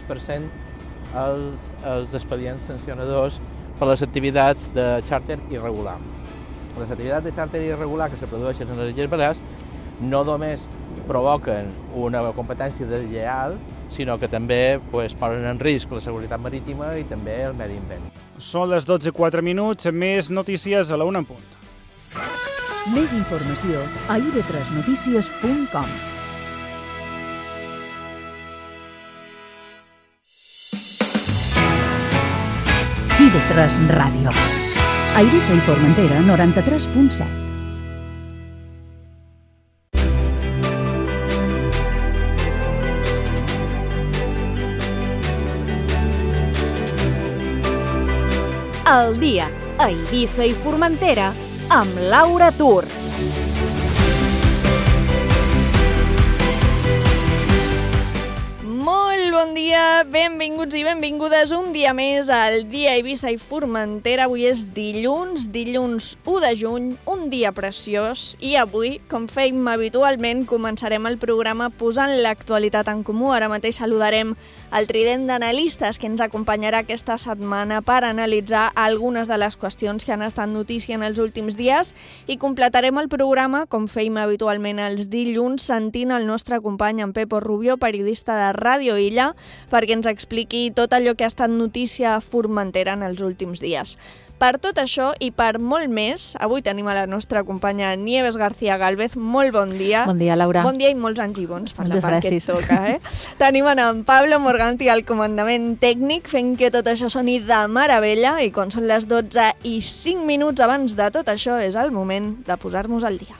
3% els expedients sancionadors per les activitats de xàrter irregular. Les activitats de xàrter irregular que se produeixen en les Illes Balears no només provoquen una competència deslleial, sinó que també posen en risc la seguretat marítima i també el medi ambient. Són les 12:04, més notícies a la 1 en punt. Més informació a ib3notícies.com. IB3 Ràdio. A Eivissa i Formentera, 93.7. El dia a Eivissa i Formentera amb Laura Tur. Molt bon dia, benvinguts i benvingudes un dia més al dia a Eivissa i Formentera. Avui és dilluns 1 de juny, un dia preciós, i avui, com fèiem habitualment, començarem el programa posant l'actualitat en comú. Ara mateix saludarem el trident d'analistes que ens acompanyarà aquesta setmana per analitzar algunes de les qüestions que han estat notícia en els últims dies, i completarem el programa, com fèiem habitualment els dilluns, sentint el nostre company en Pepo Rubio, periodista de Ràdio Illa, perquè ens expliqui tot allò que ha estat notícia a Formentera en els últims dies. Per tot això i per molt més, avui tenim a la nostra companya Nieves García Gálvez. Molt bon dia. Bon dia, Laura. Bon dia i molts anys i bons per Moltes la part gràcies. que et toca. Tenim en Pablo Morganti al comandament tècnic, fent que tot això soni de meravella, i quan són les 12:05 abans de tot això és el moment de posar-nos al dia.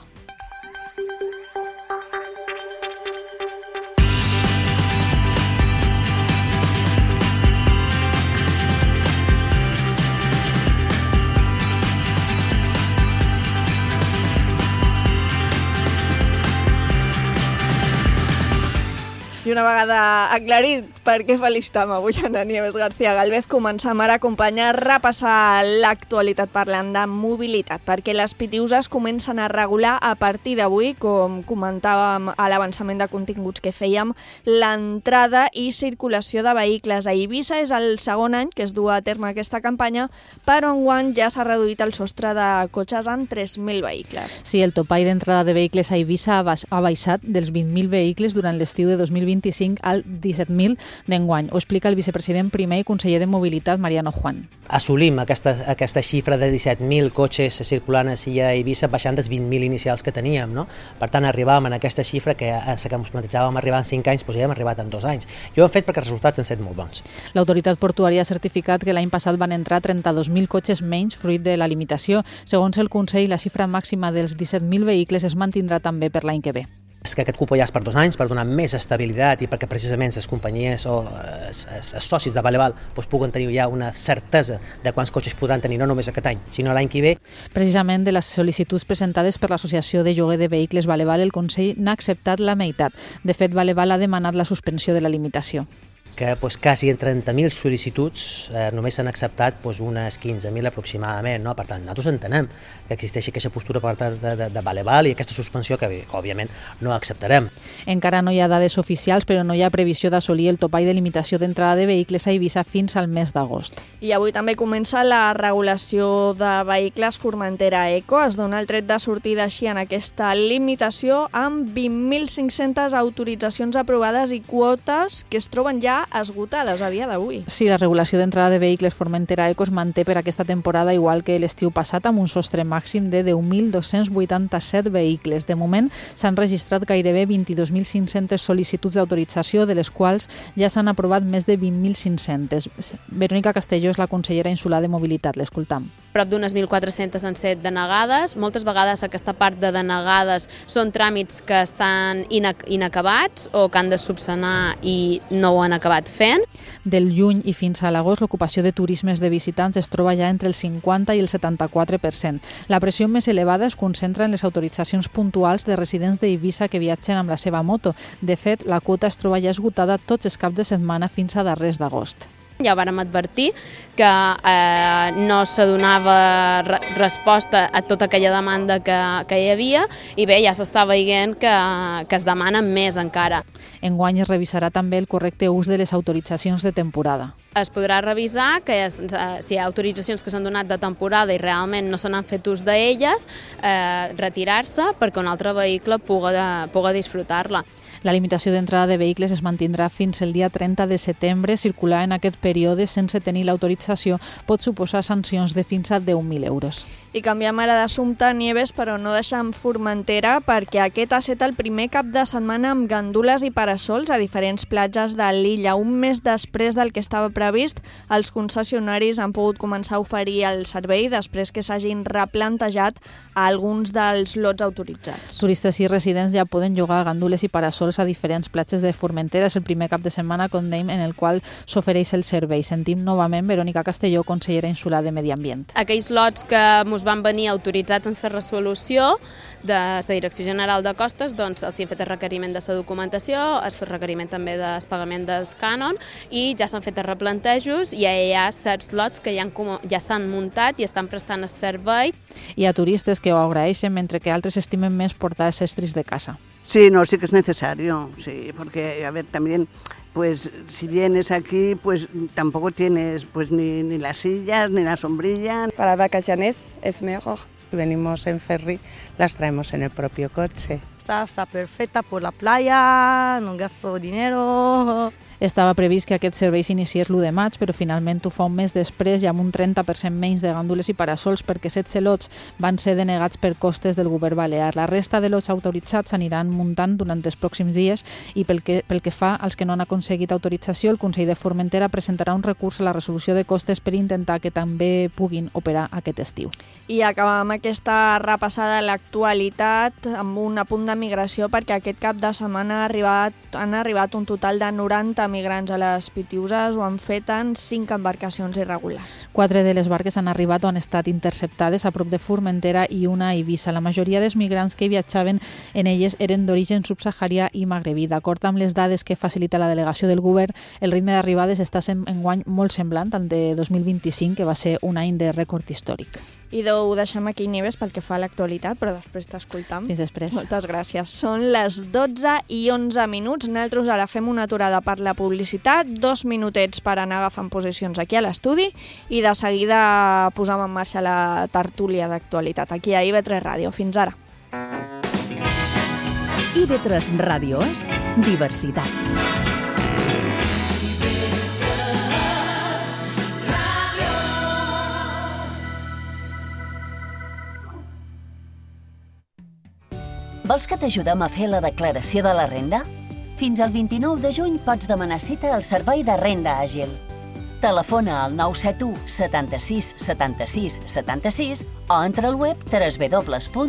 I una vegada aclarit per què felicitam avui a Nieves García Gálvez, comencem ara a acompanyar, repassar l'actualitat parlant de mobilitat, perquè les PTUs es comencen a regular a partir d'avui, com comentàvem a l'avançament de continguts que fèiem, l'entrada i circulació de vehicles a Eivissa. És el segon any que es du a terme aquesta campanya, però enguany ja s'ha reduït el sostre de cotxes en 3.000 vehicles. Sí, el topall d'entrada de vehicles a Eivissa ha baixat dels 20.000 vehicles durant l'estiu de 2025 al 17.000 d'enguany. Ho explica el vicepresident primer i conseller de Mobilitat, Mariano Juan. Assolim aquesta xifra de 17.000 cotxes circulant a Eivissa, baixant dels 20.000 inicials que teníem, no? Per tant, arribàvem a aquesta xifra que ens plantejàvem arribar en 5 anys, doncs ja hem arribat en 2 anys. I ho hem fet perquè els resultats han estat molt bons. L'autoritat portuària ha certificat que l'any passat van entrar 32.000 cotxes menys fruit de la limitació. Segons el Consell, la xifra màxima dels 17.000 vehicles es mantindrà també per l'any que ve. És que aquest cupo ja és per 2 anys, per donar més estabilitat i perquè precisament les companyies o els socis de Valeval puguen tenir ja una certesa de quants cotxes podran tenir, no només aquest any, sinó l'any que ve. Precisament de les sol·licituds presentades per l'Associació de Lloguer de Vehicles Valeval, el Consell n'ha acceptat la meitat. De fet, Valeval ha demanat la suspensió de la limitació. Que quasi en 30.000 sol·licituds només s'han acceptat unes 15.000 aproximadament. No? Per tant, nosaltres entenem que existeixi aquesta postura per part de Valeval i aquesta suspensió que òbviament no acceptarem. Encara no hi ha dades oficials, però no hi ha previsió d'assolir el topall de limitació d'entrada de vehicles a Eivissa fins al mes d'agost. I avui també comença la regulació de vehicles Formentera Eco. Es dona el tret de sortida així en aquesta limitació amb 20.500 autoritzacions aprovades i quotes que es troben ja esgotades a dia d'avui. Sí, la regulació d'entrada de vehicles Formentera Eco es manté per aquesta temporada igual que l'estiu passat, amb un sostre màxim de 10.287 vehicles. De moment s'han registrat gairebé 22.500 sol·licituds d'autorització, de les quals ja s'han aprovat més de 20.500. Verònica Castelló és la consellera insular de Mobilitat, l'escoltam. Prop d'unes 1.400 han set denegades. Moltes vegades aquesta part de denegades són tràmits que estan inacabats o que han de subsanar i no ho han acabat fent. Del juny i fins a l'agost, l'ocupació de turismes de visitants es troba ja entre el 50 i el 74%. La pressió més elevada es concentra en les autoritzacions puntuals de residents d'Eivissa que viatgen amb la seva moto. De fet, la quota es troba ja esgotada tots els caps de setmana fins a darrers d'agost. ja vàrem advertir que no s'adonava resposta a tota aquella demanda que hi havia i bé, ja s'està veient que es demana més encara. Enguany es revisarà també el correcte ús de les autoritzacions de temporada. Es podrà revisar que si hi ha autoritzacions que s'han donat de temporada i realment no se n'han fet ús d'elles, retirar-se perquè un altre vehicle puga disfrutar-la. La limitació d'entrada de vehicles es mantindrà fins el dia 30 de setembre. Circular en aquest període sense tenir l'autorització pot suposar sancions de fins a 10.000 euros. I canviem ara d'assumpte, Nieves, però no deixem Formentera, perquè aquest ha estat el primer cap de setmana amb gandules i parasols a diferents platges de l'illa. Un mes després del que estava previst, els concessionaris han pogut començar a oferir el servei després que s'hagin replantejat a alguns dels lots autoritzats. Turistes i residents ja poden llogar gandules i parasols a diferents platges de Formentera. És el primer cap de setmana, com dèiem, en el qual s'ofereix el servei. Sentim novament Verònica Castelló, consellera insular de Medi Ambient. Aquells lots que ens van venir autoritzats en la resolució de la Direcció General de Costes, doncs els hi han fet el requeriment de la documentació, el requeriment també del pagament del cànon i ja s'han fet els replantejos i ja hi ha certs lots que ja s'han muntat i estan prestant el servei. Hi ha turistes que ho agraeixen, mentre que altres estimen més portar els estris de casa. Sí, no, sí que es necesario, sí, porque, a ver, también, pues, si vienes aquí, pues, tampoco tienes, pues, ni las sillas, ni la sombrilla. Para vacaciones es mejor. Venimos en ferry, las traemos en el propio coche. Está perfecta por la playa, no gasto dinero. Estava previst que aquest servei s'iniciés l'1 de maig, però finalment ho fa un mes després i amb un 30% menys de gandules i parasols perquè 7 lots van ser denegats per costes del govern balear. La resta de lots autoritzats s'aniran muntant durant els pròxims dies i pel que fa als que no han aconseguit autorització, el Consell de Formentera presentarà un recurs a la resolució de costes per intentar que també puguin operar aquest estiu. I acabam aquesta repassada de l'actualitat amb un apunt de migració, perquè aquest cap de setmana han arribat un total de 90 migrants a les Pitiüses, ho han fet en 5 embarcacions irregulars. 4 de les barques han arribat o han estat interceptades a prop de Formentera i una a Eivissa. La majoria dels migrants que viatjaven en elles eren d'origen subsaharià i magrebí. D'acord amb les dades que facilita la delegació del govern, el ritme d'arribades està enguany molt semblant al de 2025, que va ser un any de rècord històric. I ho deixem aquí, Nieves, pel que fa a l'actualitat, però després t'escoltam. Fins després. Moltes gràcies. Són les 12:11. Nosaltres ara fem una aturada per la publicitat, 2 minutets per anar agafant posicions aquí a l'estudi i de seguida posam en marxa la tertúlia d'actualitat aquí a IB3 Ràdio. Fins ara. IB3 Ràdio és diversitat. Vols que t'ajudem a fer la declaració de la renda? Fins al 29 de juny pots demanar cita al Servei de Renda Àgil. Telefona al 971 76 76 76 o entra al web www.atip.es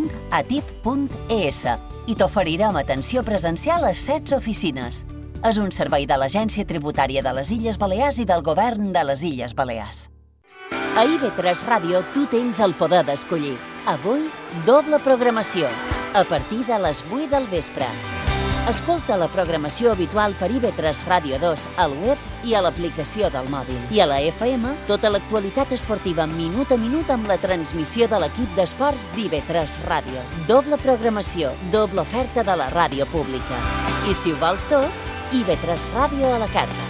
i t'oferirem atenció presencial a 16 oficines. És un servei de l'Agència Tributària de les Illes Balears i del Govern de les Illes Balears. A IB3 Ràdio tu tens el poder d'escollir. Avui, doble programació, a partir de les 8 del vespre. Escolta la programació habitual per IB3 Ràdio 2 al web i a l'aplicació del mòbil. I a la FM, tota l'actualitat esportiva minut a minut amb la transmissió de l'equip d'esports d'IB3 Ràdio. Doble programació, doble oferta de la ràdio pública. I si ho vols tot, IB3 Ràdio a la carta.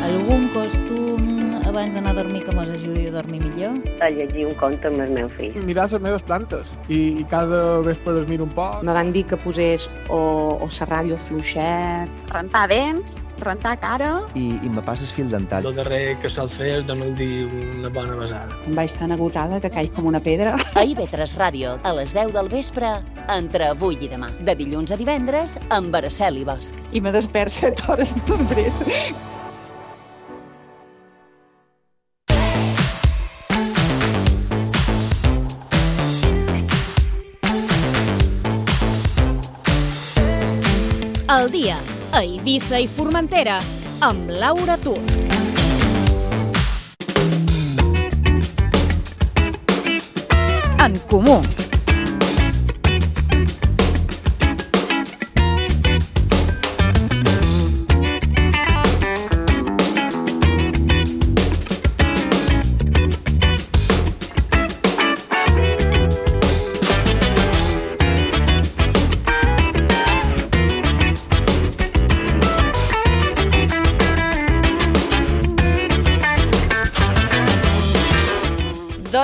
Algun costum abans d'anar a dormir que mos ajudi a dormir millor? A llegir un conte amb el meu fill. Mirar les meves plantes i cada vespre les miro un poc. Me van dir que posés o la ràdio fluixet. Rentar dents, rentar cara. I me passes fil dental. El darrer que sol fer és donar-li dir una bona besada. Em vaig tan agotada que caig com una pedra. A IB3 Ràdio, a les 10 del vespre, entre avui i demà. De dilluns a divendres, amb Araceli Bosch. I me despert 7 hores després. El dia a Eivissa i Formentera amb Laura Tur. En comú.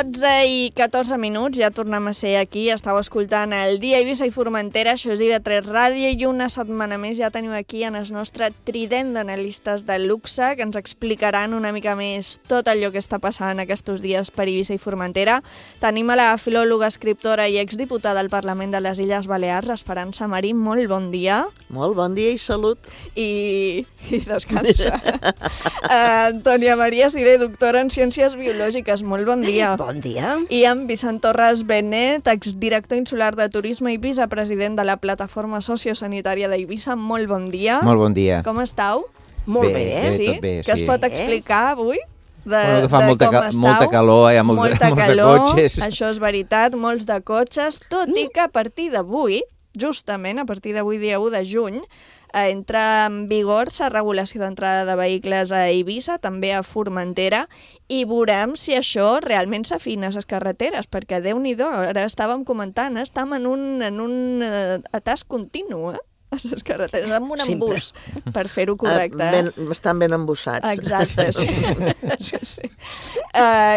12:14, ja tornem a ser aquí, estàu escoltant el Dia Eivissa i Formentera, això és IB3 Ràdio, i una setmana més ja tenim aquí en el nostre trident d'analistes de luxe, que ens explicaran una mica més tot allò que està passant aquests dies per Eivissa i Formentera. Tenim a la filòloga, escriptora i exdiputada al Parlament de les Illes Balears, Esperança Marín, molt bon dia. Molt bon dia i salut. I descansa. Antònia Maria Siré, doctora en Ciències Biològiques, molt bon dia. Bon dia. I en Vicent Torres Benet, exdirector insular de Turisme i vicepresident de la Plataforma Sociosanitària d'Eivissa, molt bon dia. Molt bon dia. Com estàu? Molt bé, sí? Tot bé, Què es pot explicar avui? Que fa molta calor, hi ha molts de cotxes. Això és veritat, molts de cotxes, tot i que a partir d'avui, justament a partir d'avui, dia 1 de juny, entra en vigor la regulació d'entrada de vehicles a Eivissa, també a Formentera, i veurem si això realment s'afina a les carreteres, perquè Déu-n'hi-do, ara estàvem comentant, estem en un atàs continu, a les carreteres, amb un embús, per fer-ho correcte. Estan ben embussats. Exacte, sí. Sí.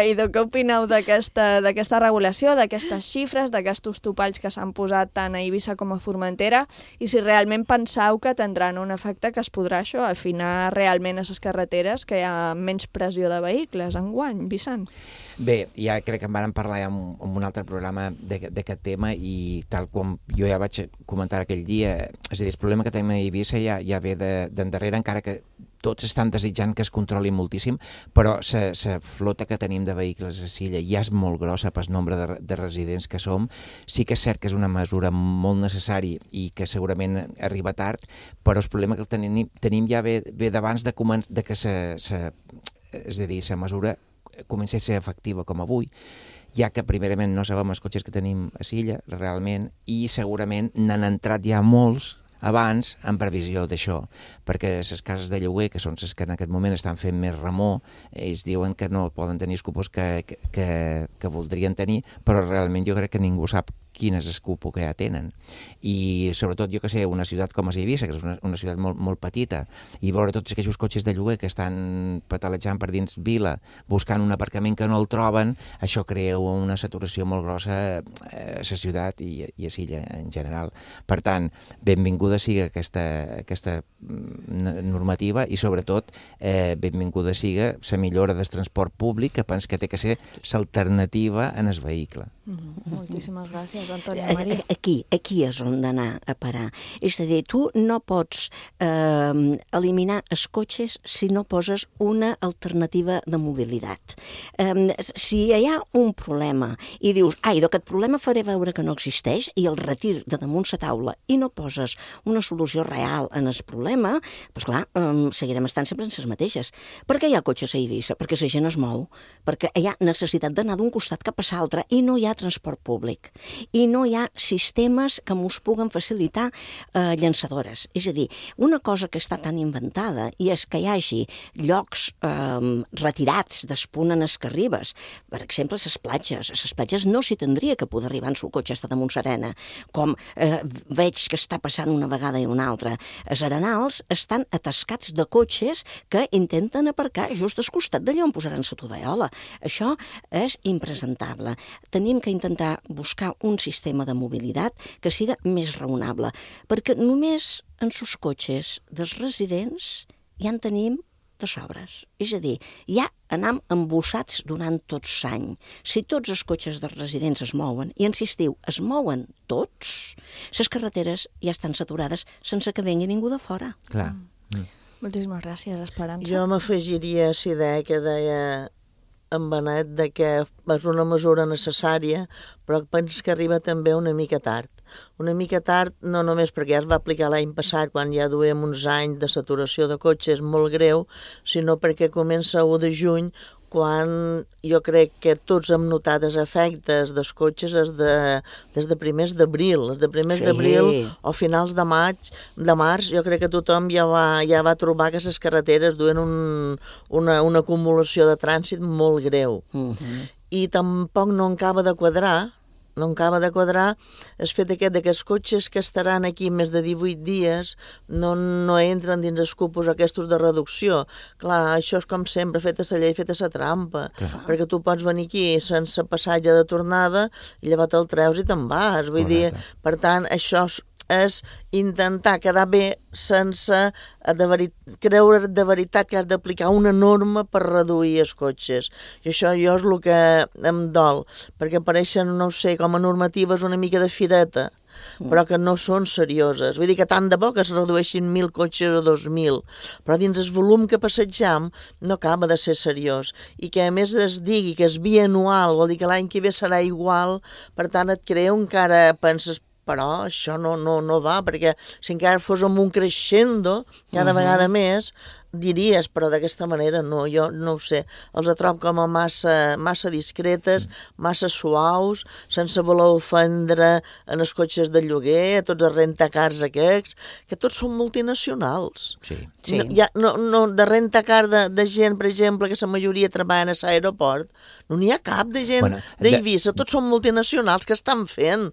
I què opineu d'aquesta regulació, d'aquestes xifres, d'aquests topalls que s'han posat tant a Eivissa com a Formentera, i si realment penseu que tindran un efecte que es podrà afinar realment a les carreteres, que hi ha menys pressió de vehicles enguany, Vicent? Bé, ja crec que en vàrem parlar ja en un altre programa d'aquest tema, i tal com jo ja vaig comentar aquell dia, és a dir, el problema que tenim a Eivissa ja ve d'endarrere, encara que tots estan desitjant que es controli moltíssim, però la flota que tenim de vehicles a Silla ja és molt grossa pel nombre de residents que som. Sí que és cert que és una mesura molt necessària i que segurament arriba tard, però el problema que tenim ja ve d'abans de que és a dir, la mesura comença a ser efectiva com avui, ja que primerament no sabem els cotxes que tenim a Silla, realment, i segurament n'han entrat ja molts abans en previsió d'això, perquè les cases de lloguer, que són les que en aquest moment estan fent més remor, ells diuen que no poden tenir els cupos que voldrien tenir, però realment jo crec que ningú sap quin és el cupo que ja tenen. I sobretot, jo que sé, una ciutat com Eivissa, que és una ciutat molt petita, i veure tots aquests cotxes de lloguer que estan patalejant per dins vila, buscant un aparcament que no el troben, això crea una saturació molt grossa a la ciutat i a Silla en general. Per tant, benvinguda sigui aquesta normativa, i sobretot benvinguda sigui la millora del transport públic, que penso que té que ser l'alternativa en el vehicle. Moltíssimes gràcies, Antònia Maria. Aquí és on d'anar a parar. És a dir, tu no pots eliminar els cotxes si no poses una alternativa de mobilitat. Si hi ha un problema i dius, aquest problema faré veure que no existeix i el retir de damunt la taula i no poses una solució real en el problema, doncs clar, seguirem estant sempre en les mateixes. Per què hi ha cotxes a Eivissa? Perquè la gent es mou, perquè hi ha necessitat d'anar d'un costat cap a l'altre i no hi ha transport públic i no hi ha sistemes que mos puguen facilitar llançadores. És a dir, una cosa que està tan inventada i és que hi hagi llocs retirats d'espunt en les Carribes, per exemple, a les platges no s'hi tindria que poder arribar en el cotxe està damunt l'arena, com veig que està passant una vegada i una altra. Els arenals estan atascats de cotxes que intenten aparcar just al costat d'allà on posaran la tovallola. Això és impresentable. Tenim que intentar buscar un sistema de mobilitat que siga més raonable, perquè només en els cotxes dels residents ja en tenim de sobres. És a dir, ja anem embussats durant tot l'any. Si tots els cotxes dels residents es mouen, i en l'estiu es mouen tots, les carreteres ja estan saturades sense que vengui ningú de fora. Clar. Moltíssimes gràcies, Esperança. Jo m'afegiria a la idea que deia en Benet de que és una mesura necessària, però penso que arriba també una mica tard. Una mica tard no només perquè ja es va aplicar l'any passat, quan ja duem uns anys de saturació de cotxes molt greu, sinó perquè comença el 1 de juny, quan jo crec que tots hem notat els efectes dels cotxes des de primers d'abril. Des de primers d'abril o finals de març, jo crec que tothom ja va trobar que les carreteres duen una acumulació de trànsit molt greu. I tampoc no acaba de quadrar no acaba de quadrar el fet aquest que els cotxes que estaran aquí més de 18 dies no entren dins els cupos aquests de reducció. Clar, això és com sempre, feta la llei, feta la trampa, perquè tu pots venir aquí sense passatge de tornada i llavors te'l treus i te'n vas. Vull dir, per tant, això és intentar quedar bé sense creure de veritat que has d'aplicar una norma per reduir els cotxes. I això jo és el que em dol, perquè apareixen, no sé, com a normatives una mica de fireta, però que no són serioses. Vull dir que tant de bo que es redueixin 1.000 cotxes a 2.000, però dins el volum que passegem no acaba de ser seriós. I que a més es digui que és bianual, vol dir que l'any que ve serà igual, per tant et crea encara, penses, però això no va, perquè si encara fos amb un crescendo cada vegada més, diries, però d'aquesta manera no, jo no ho sé, els trobo com a massa discretes, massa suaus, sense voler ofendre en els cotxes de lloguer, tots els rentacars aquests, que tots són multinacionals. Sí. De rentacar de gent, per exemple, que la majoria treballen a l'aeroport, no n'hi ha cap de gent d'Eivissa, tots són multinacionals que estan fent,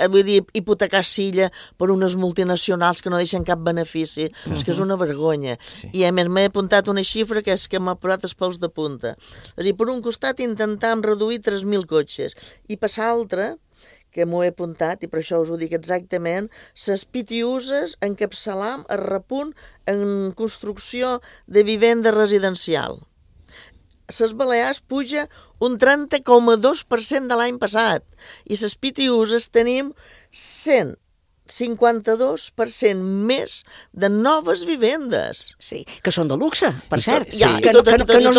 vull dir, hipotecar Silla per unes multinacionals que no deixen cap benefici, és que és una vergonya. I a més m'he apuntat una xifra que és que m'ha posat els pèls de punta. És a dir, per un costat intentàvem reduir 3.000 cotxes i per l'altre, que m'ho he apuntat i per això us ho dic exactament, les pitiuses encapçalam el repunt en construcció de vivenda residencial. Les Balears puja un 30,2% de l'any passat i les pitiuses tenim 152% més de noves vivendes. Sí, que són de luxe, per cert. Que no és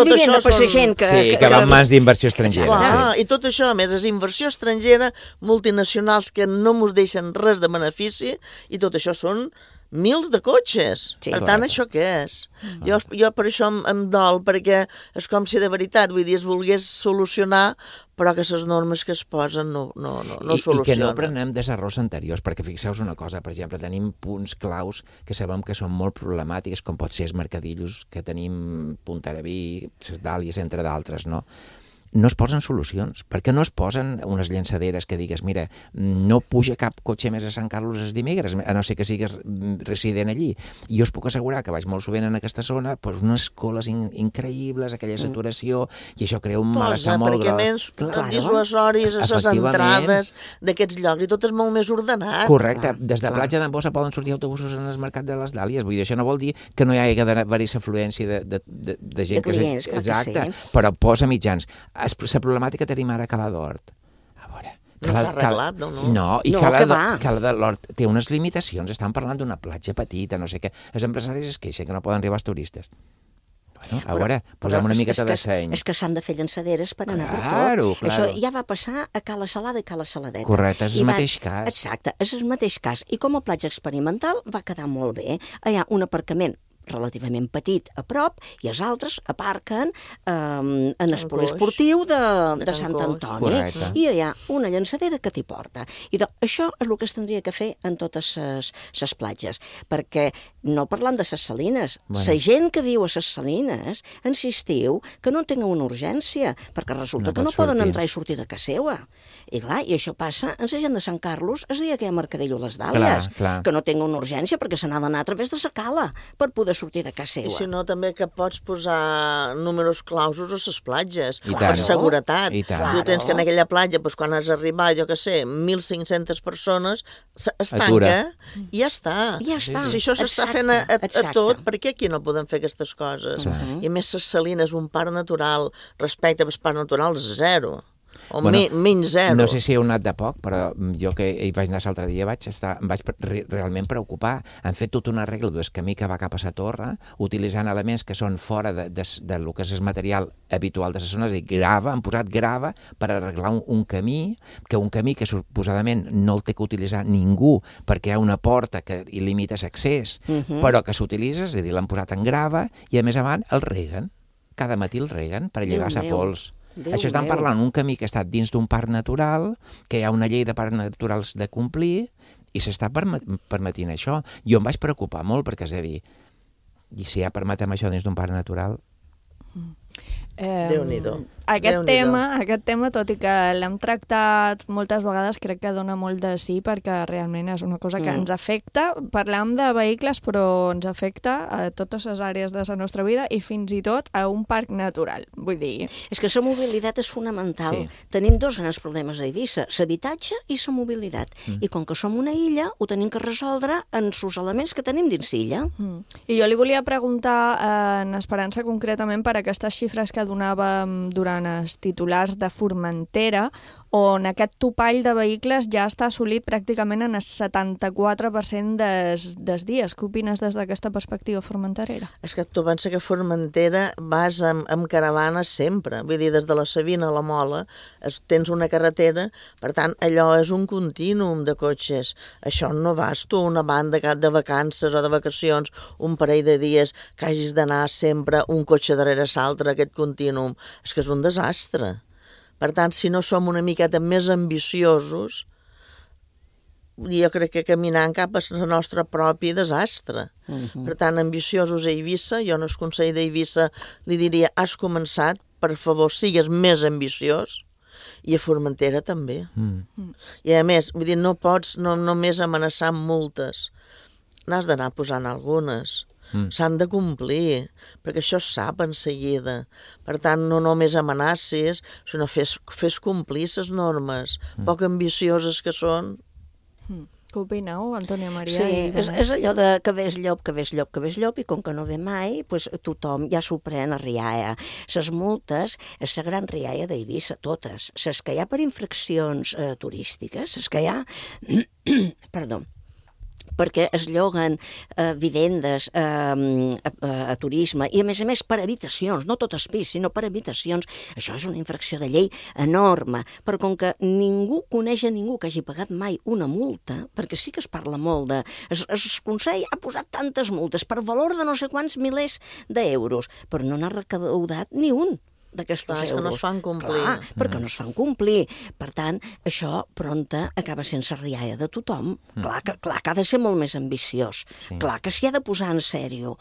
vivenda per la gent que... Sí, que van mans d'inversió estrangera. I tot això, a més, és inversió estrangera, multinacionals que no mos deixen res de benefici, i tot això són mils de cotxes. Per tant, això què és? Jo per això em dol, perquè és com si de veritat, vull dir, es volgués solucionar, però que les normes que es posen no solucionen. I que no prenem dels errors anteriors, perquè fixeu-vos una cosa, per exemple, tenim punts claus que sabem que són molt problemàtics, com pot ser els mercadillos, que tenim Puntaraví, les Dàlies, entre d'altres, no? No es posen solucions. Per què no es posen unes llançaderes que digues, mira, no puja cap cotxe més a Sant Carlos els dimecres, a no ser que sigues resident allí. I jo us puc assegurar que vaig molt sovint en aquesta zona, doncs unes coles increïbles, aquella saturació, i això crea un malestar molt gros. Perquè més dissuasoris a les entrades d'aquests llocs, i tot és molt més ordenat. Correcte. Des de Platja d'en Bossa poden sortir autobusos en el mercat de les Dàlies. Vull dir, això no vol dir que no hi hagi d'haver-hi afluència de gent. De clients, exacte, però posa mitjans. La problemàtica tenim ara a Cala d'Hort. A veure... No s'ha arreglat, no? No, i Cala d'Hort té unes limitacions. Estan parlant d'una platja petita, no sé què. Els empresaris es queixen que no poden arribar els turistes. Bueno, a veure, posem una miqueta de seny. És que s'han de fer llançaderes per anar per tot. Això ja va passar a Cala Salada i Cala Saladeta. Correcte, és el mateix cas. Exacte, és el mateix cas. I com a platja experimental va quedar molt bé. Hi ha un aparcament relativament petit a prop, i els altres aparquen en el poliesportiu de Sant Antoni. Correcte. I hi ha una llançadera que t'hi porta. I això és el que es tindria que fer en totes les platges, perquè no parlant de les salines, la gent que viu a les salines insistiu que no tenen una urgència, perquè resulta que no poden entrar i sortir de casa seva. I clar, i això passa en la gent de Sant Carlos el dia que hi ha mercadillo a les Dàlies, que no tenen una urgència perquè se n'ha d'anar a través de la cala per poder sortir de casa seva. I si no, també que pots posar números clausos a les platges, per seguretat. Si tu tens que en aquella platja, quan has arribat, jo què sé, 1.500 persones, es tanca i ja està. Si això s'està fent a tot, per què aquí no podem fer aquestes coses? I a més, les salines, un parc natural, respecte als parcs naturals, zero. O menys zero. No sé si heu anat de poc, però jo que hi vaig anar l'altre dia em vaig realment preocupar. Han fet tota una regla del camí que va cap a la torre, utilitzant elements que són fora del que és el material habitual de les zones, i han posat grava per arreglar un camí que suposadament no el té que utilitzar ningú perquè hi ha una porta que hi limita l'accés, però que s'utilitza, és a dir, l'han posat en grava i a més avant el reguen. Cada matí el reguen per llegar la pols. Això estan parlant un camí que està dins d'un parc natural, que hi ha una llei de parcs naturals de complir, i s'està permetint això. Jo em vaig preocupar molt, perquè és a dir, i si ja permetem això dins d'un parc natural, Déu-n'hi-do. Aquest tema, tot i que l'hem tractat moltes vegades, crec que dona molt de sí, perquè realment és una cosa que ens afecta. Parlem de vehicles, però ens afecta a totes les àrees de la nostra vida i fins i tot a un parc natural. Vull dir... És que la mobilitat és fonamental. Tenim dos grans problemes a Eivissa, l'habitatge i la mobilitat. I com que som una illa, ho tenim que resoldre en els elements que tenim dins l'illa. I jo li volia preguntar, en Esperança, concretament per aquestes xifres que donàvem durant els titulars de Formentera, on aquest topall de vehicles ja està assolit pràcticament en el 74% dels dies. Què opines des d'aquesta perspectiva formenterera? És que tu pensa que Formentera vas amb caravanes sempre, vull dir, des de la Sabina a la Mola tens una carretera, per tant, allò és un contínuum de cotxes. Això no vas tu una banda de vacances o de vacacions, un parell de dies que hagis d'anar sempre un cotxe darrere l'altre, aquest contínuum. És que és un desastre. Per tant, si no som una miqueta més ambiciosos, jo crec que caminant cap al nostre propi desastre. Per tant, ambiciosos a Eivissa, jo no és consell d'Eivissa, li diria, has començat, per favor, sigues més ambiciós, i a Formentera també. I a més, vull dir, no pots només amenaçar amb multes, n'has d'anar posant algunes. S'han de complir, perquè això es sap en seguida. Per tant, no només amenacis, sinó fes complir les normes, poc ambicioses que són. Què opineu, Antònia Maria? Sí, és allò de que ves llop, i com que no ve mai, doncs tothom ja s'ho pren a rialla. Les multes, és la gran rialla d'Eivissa, totes. Les que hi ha per infraccions turístiques, les que hi ha... Perdó. Perquè es lloguen vivendes a turisme i, a més, per habitacions, no tot el pis, sinó per habitacions. Això és una infracció de llei enorme, però com que ningú coneix a ningú que hagi pagat mai una multa, perquè sí que es parla molt de... El Consell ha posat tantes multes per valor de no sé quants milers d'euros, però no n'ha recaudat ni un d'aquests euros. Que no es fan complir. Clar, perquè no es fan complir. Per tant, això prompte acaba sense rialla de tothom. Clar que ha de ser molt més ambiciós. Clar que s'hi ha de posar en sèrio.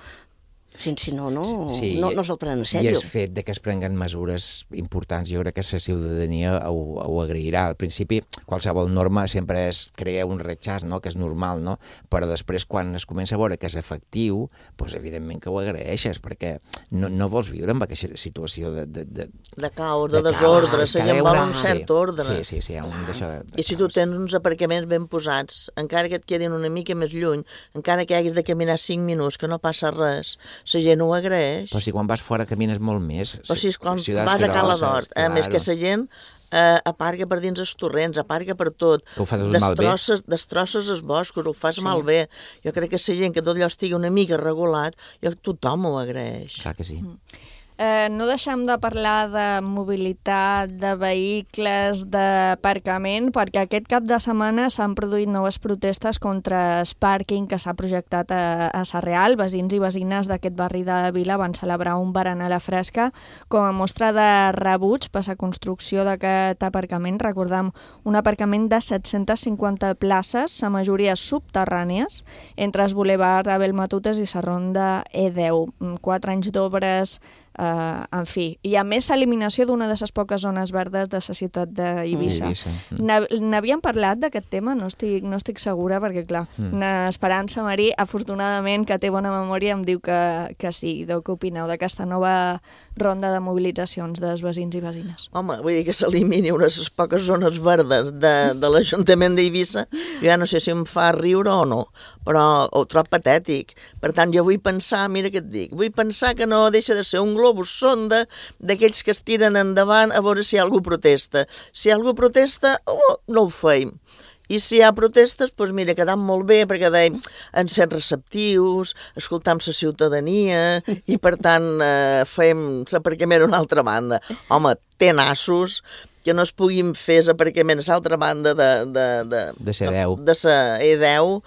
Si no, no se'l prenen en sèrio. I el fet de que es prenguen mesures importants, jo crec que la ciutadania ho agrairà. Al principi, qualsevol norma sempre crea un rechaç, no?, que és normal, no? Però després, quan es comença a veure que és efectiu, doncs evidentment que ho agraeixes, perquè no vols viure en aquesta situació de caos, de desordre, la gent vol un cert ordre. Sí, I si tu tens uns aparcaments ben posats, encara que et quedin una mica més lluny, encara que haguis de caminar 5 minuts, que no passa res, la gent ho agraeix. Però si quan vas fora camines molt més. Però si quan vas a Cala d'Hort, a més que la gent aparca per dins els torrents, aparca per tot. Que ho fas malbé. Destrosses els boscos, ho fas malbé. Jo crec que la gent, que tot allò estigui una mica regulat, tothom ho agraeix. Clar que sí. No deixem de parlar de mobilitat, de vehicles, d'aparcament, perquè aquest cap de setmana s'han produït noves protestes contra el pàrquing que s'ha projectat a Sarrià. Veïns i veïnes d'aquest barri de Vila van celebrar un berenar a la fresca com a mostra de rebuig per la construcció d'aquest aparcament. Recordem, un aparcament de 750 places, la majoria subterrànies, entre el bulevard Abel Matutes i la ronda E10. 4 anys d'obres, en fi. I a més, l'eliminació d'una de les poques zones verdes de la ciutat d'Eivissa. N'havíem parlat d'aquest tema? No estic segura, perquè clar, Esperança Marí, afortunadament, que té bona memòria, em diu que sí. Què opineu d'aquesta nova ronda de mobilitzacions dels veïns i veïnes? Home, vull dir que s'elimini unes poques zones verdes de l'Ajuntament d'Eivissa, jo ja no sé si em fa riure o no, però ho trobo patètic. Per tant, jo vull pensar, mira què et dic, vull pensar que no deixa de ser un globus sonda d'aquells que es tiren endavant a veure si algú protesta. Si algú protesta, no ho feim. I si hi ha protestes, doncs mira, quedam molt bé, perquè dèiem, en ser receptius, escoltam la ciutadania, i per tant fem l'aparcament a una altra banda. Home, té nassos que no es puguin fer l'aparcament a l'altra banda de sa E10,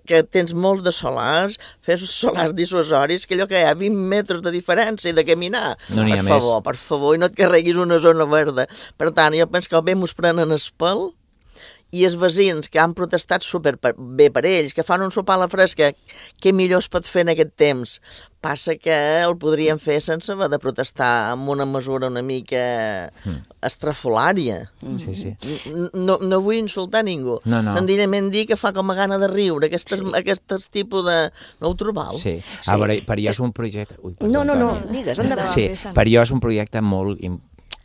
que tens molts de solars, fes solars dissuasoris, que allò que hi ha 20 metres de diferència de caminar. No n'hi ha més. Per favor, i no et carreguis una zona verda. Per tant, jo penso que bé mos prenen el pèl i els veïns que han protestat super bé per ells, que fan un sopar a la fresca, què millor es pot fer en aquest temps? Passa que el podrien fer sense haver de protestar amb una mesura una mica estrafolària. Sí. No vull insultar ningú. Senzillament dir que fa com a gana de riure, aquest tipus de... No ho trobau? Sí. A veure, per jo és un projecte... No, digues, endavant. Sí, per jo és un projecte molt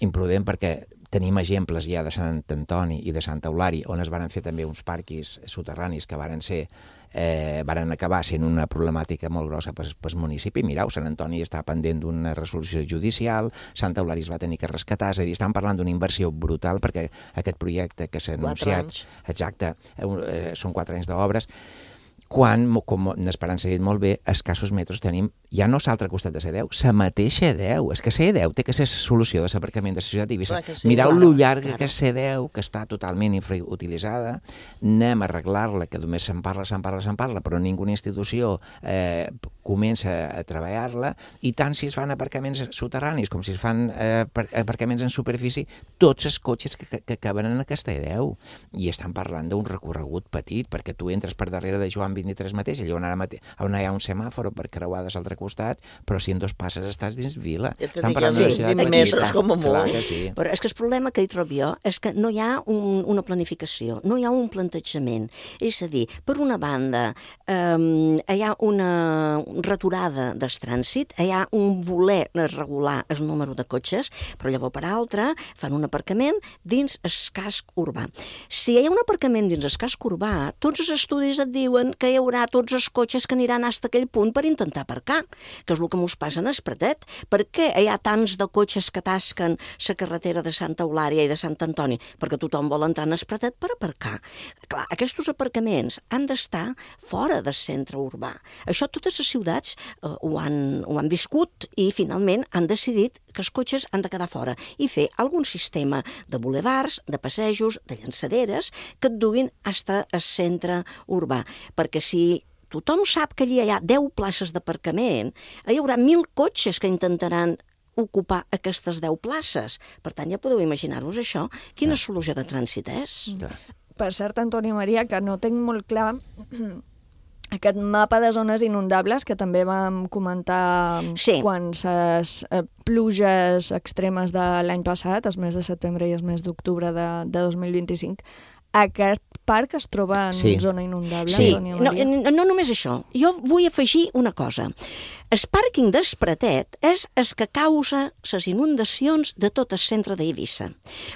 imprudent perquè tenim exemples ja de Sant Antoni i de Santa Eulària, on es van fer també uns parquis soterranis que varen acabar sent una problemàtica molt grossa pel municipi. Mireu, Sant Antoni està pendent d'una resolució judicial, Santa Eulària es va tenir que rescatar, és a dir, estan parlant d'una inversió brutal perquè aquest projecte que s'ha anunciat... 4 anys. Exacte, són 4 anys d'obres, quan, com n'Esperança ha dit molt bé, a escassos metres tenim, ja no l'altre costat de C10, la mateixa C10. És que C10 té que ser solució de l'aparcament de la ciutat d'Eivissa. Mireu lo llarga que és C10, que està totalment infrautilitzada, anem a arreglar-la, que només se'n parla, però ninguna institució comença a treballar-la, i tant si es fan aparcaments soterranis com si es fan aparcaments en superfície, tots els cotxes que caben en aquesta C10. I estan parlant d'un recorregut petit, perquè tu entres per darrere de Joan 23 mateix, allà on hi ha un semàfor per creuar de l'altre costat, però si en 2 passes estàs dins vila. Estan parlant de 20 metres com a molt. Però és que el problema que hi trobo jo és que no hi ha una planificació, no hi ha un plantejament. És a dir, per una banda, hi ha una returada del trànsit, hi ha un voler regular el número de cotxes, però llavors per altra fan un aparcament dins el casc urbà. Si hi ha un aparcament dins el casc urbà, tots els estudis et diuen que hi haurà tots els cotxes que aniran fins a aquell punt per intentar aparcar, que és el que mos passa en el Pratet. Per què hi ha tants de cotxes que tasquen la carretera de Santa Eulària i de Sant Antoni? Perquè tothom vol entrar en el Pratet per aparcar. Clar, aquests aparcaments han d'estar fora del centre urbà. Això totes les ciutats ho han viscut i finalment han decidit que els cotxes han de quedar fora i fer algun sistema de bulevards, de passejos, de llançaderes que et duguin fins al centre urbà. Perquè si tothom sap que allí hi ha 10 places d'aparcament, hi haurà 1.000 cotxes que intentaran ocupar aquestes 10 places. Per tant, ja podeu imaginar-vos això, quina solució de trànsit és. Per cert, Antoni Maria, que no tinc molt clar aquest mapa de zones inundables que també vam comentar quan les pluges extremes de l'any passat, els mesos de setembre i els mesos d'octubre de 2025, aquest parc es troba en zona inundable? Sí, no només això. Jo vull afegir una cosa. El pàrquing del Pratet és el que causa les inundacions de tot el centre d'Eivissa.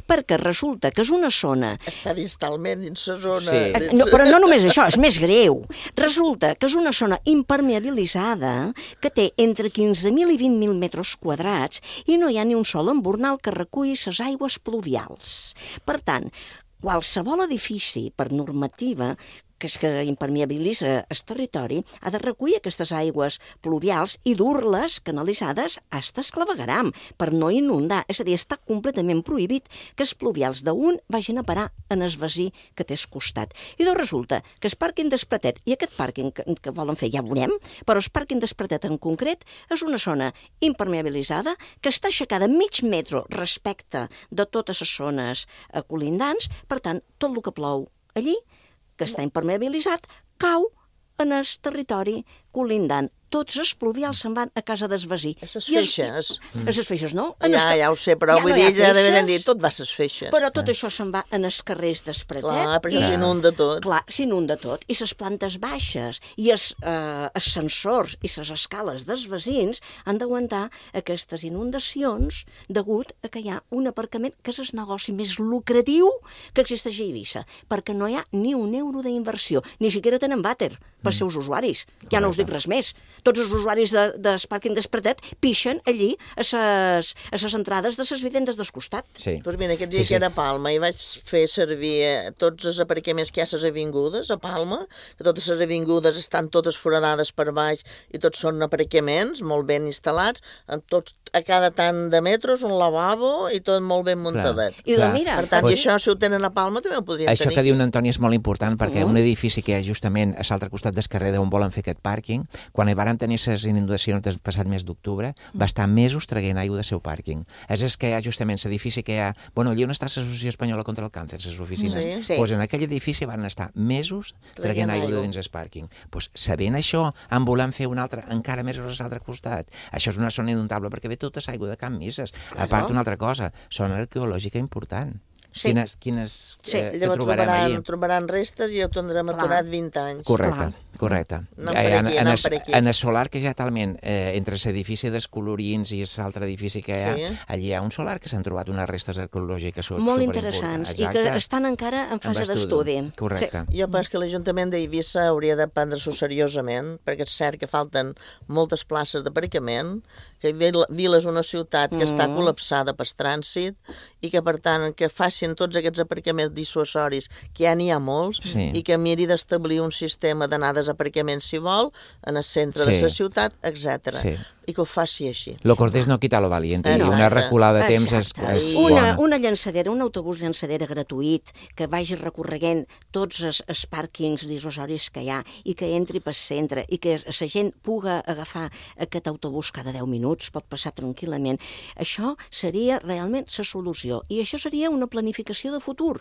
Perquè resulta que és una zona... Està distalment dins la zona... Sí. Però no només això, és més greu. Resulta que és una zona impermeabilitzada que té entre 15.000 i 20.000 metres quadrats i no hi ha ni un sol embornal que reculli les aigües pluvials. Per tant, qualsevol edifici, per normativa, que és que impermeabilitza el territori, ha de recollir aquestes aigües pluvials i dur-les canalitzades fins al clavegueram, per no inundar. És a dir, està completament prohibit que els pluvials d'un vagin a parar en el vecí que té al costat. I doncs resulta que el pàrquing del Pratet i aquest pàrquing que volen fer ja veurem, però el pàrquing del Pratet en concret és una zona impermeabilitzada que està aixecada mig metre respecte de totes les zones colindants. Per tant, tot el que plou allí, que està impermeabilitzat, cau en el territori colindant. Tots els pluvials se'n van a casa del vecí. A les feixes. A les feixes, no? Ja ho sé, però vull dir, ja devien dir, tot va a les feixes. Però tot això se'n va en els carrers del Pratet. Clar, perquè s'inunda tot. Clar, s'inunda tot. I les plantes baixes i els ascensors i les escales dels veïns han d'aguantar aquestes inundacions degut a que hi ha un aparcament que és el negoci més lucratiu que existeix a Eivissa, perquè no hi ha ni un euro d'inversió, ni siquiera tenen vàter per seus usuaris. Ja no us dic res més. Tots els usuaris del pàrquing del Pratet pixen allí a les entrades de les vivendes del costat. Doncs mira, aquest dia que era a Palma i vaig fer servir tots els aparcaments que hi ha a les avingudes a Palma, que totes les avingudes estan totes foradades per baix i tots són aparcaments molt ben instal·lats, amb tots a cada tant de metres, un lavabo i tot molt ben muntadet. I doncs mira, per tant, i això, si ho tenen a Palma, també ho podrien tenir. Això que diu l'Antoni és molt important, perquè un edifici que hi ha justament a l'altre costat del carrer on volen fer aquest pàrquing, quan hi van tenir les inundacions del passat mes d'octubre, va estar mesos traient aigua del seu pàrquing. És que hi ha justament l'edifici que hi ha... Bueno, allà on està l'Associació Espanyola contra el Càncer, les oficines, doncs en aquell edifici van estar mesos traient aigua de dins el pàrquing. Doncs sabent això, en volem fer un altre, encara més a l'altre costat. Això és una zona inundable perquè ve tota l'aigua de Can Misses. A part, una altra cosa, zona arqueològica important. Quines trobaran restes i ho tindrem aturat 20 anys. Correcte. En el solar que ja talment, entre l'edifici dels Colorins i l'altre edifici que hi ha, allí hi ha un solar que s'han trobat unes restes arqueològiques molt interessants i que estan encara en fase d'estudi. Correcte. Jo penso que l'Ajuntament d'Eivissa hauria de prendre-s'ho seriosament, perquè és cert que falten moltes places d'aparcament, que Vila és una ciutat que està col·lapsada pel trànsit i que, per tant, que facin tots aquests aparcaments dissuasoris, que ja n'hi ha molts, i que miri d'establir un sistema d'anades a aparcaments, si vol, en el centre de la ciutat, etc. I que ho faci així. Lo cortés no quita lo valiente, i una reculada de temps és bona. Una llançadera, un autobús llançadera gratuït, que vagi recorreguent tots els pàrquings dissuasoris que hi ha i que entri pel centre i que la gent puga agafar aquest autobús cada 10 minuts, pot passar tranquil·lament. Això seria realment la solució i això seria una planificació de futur.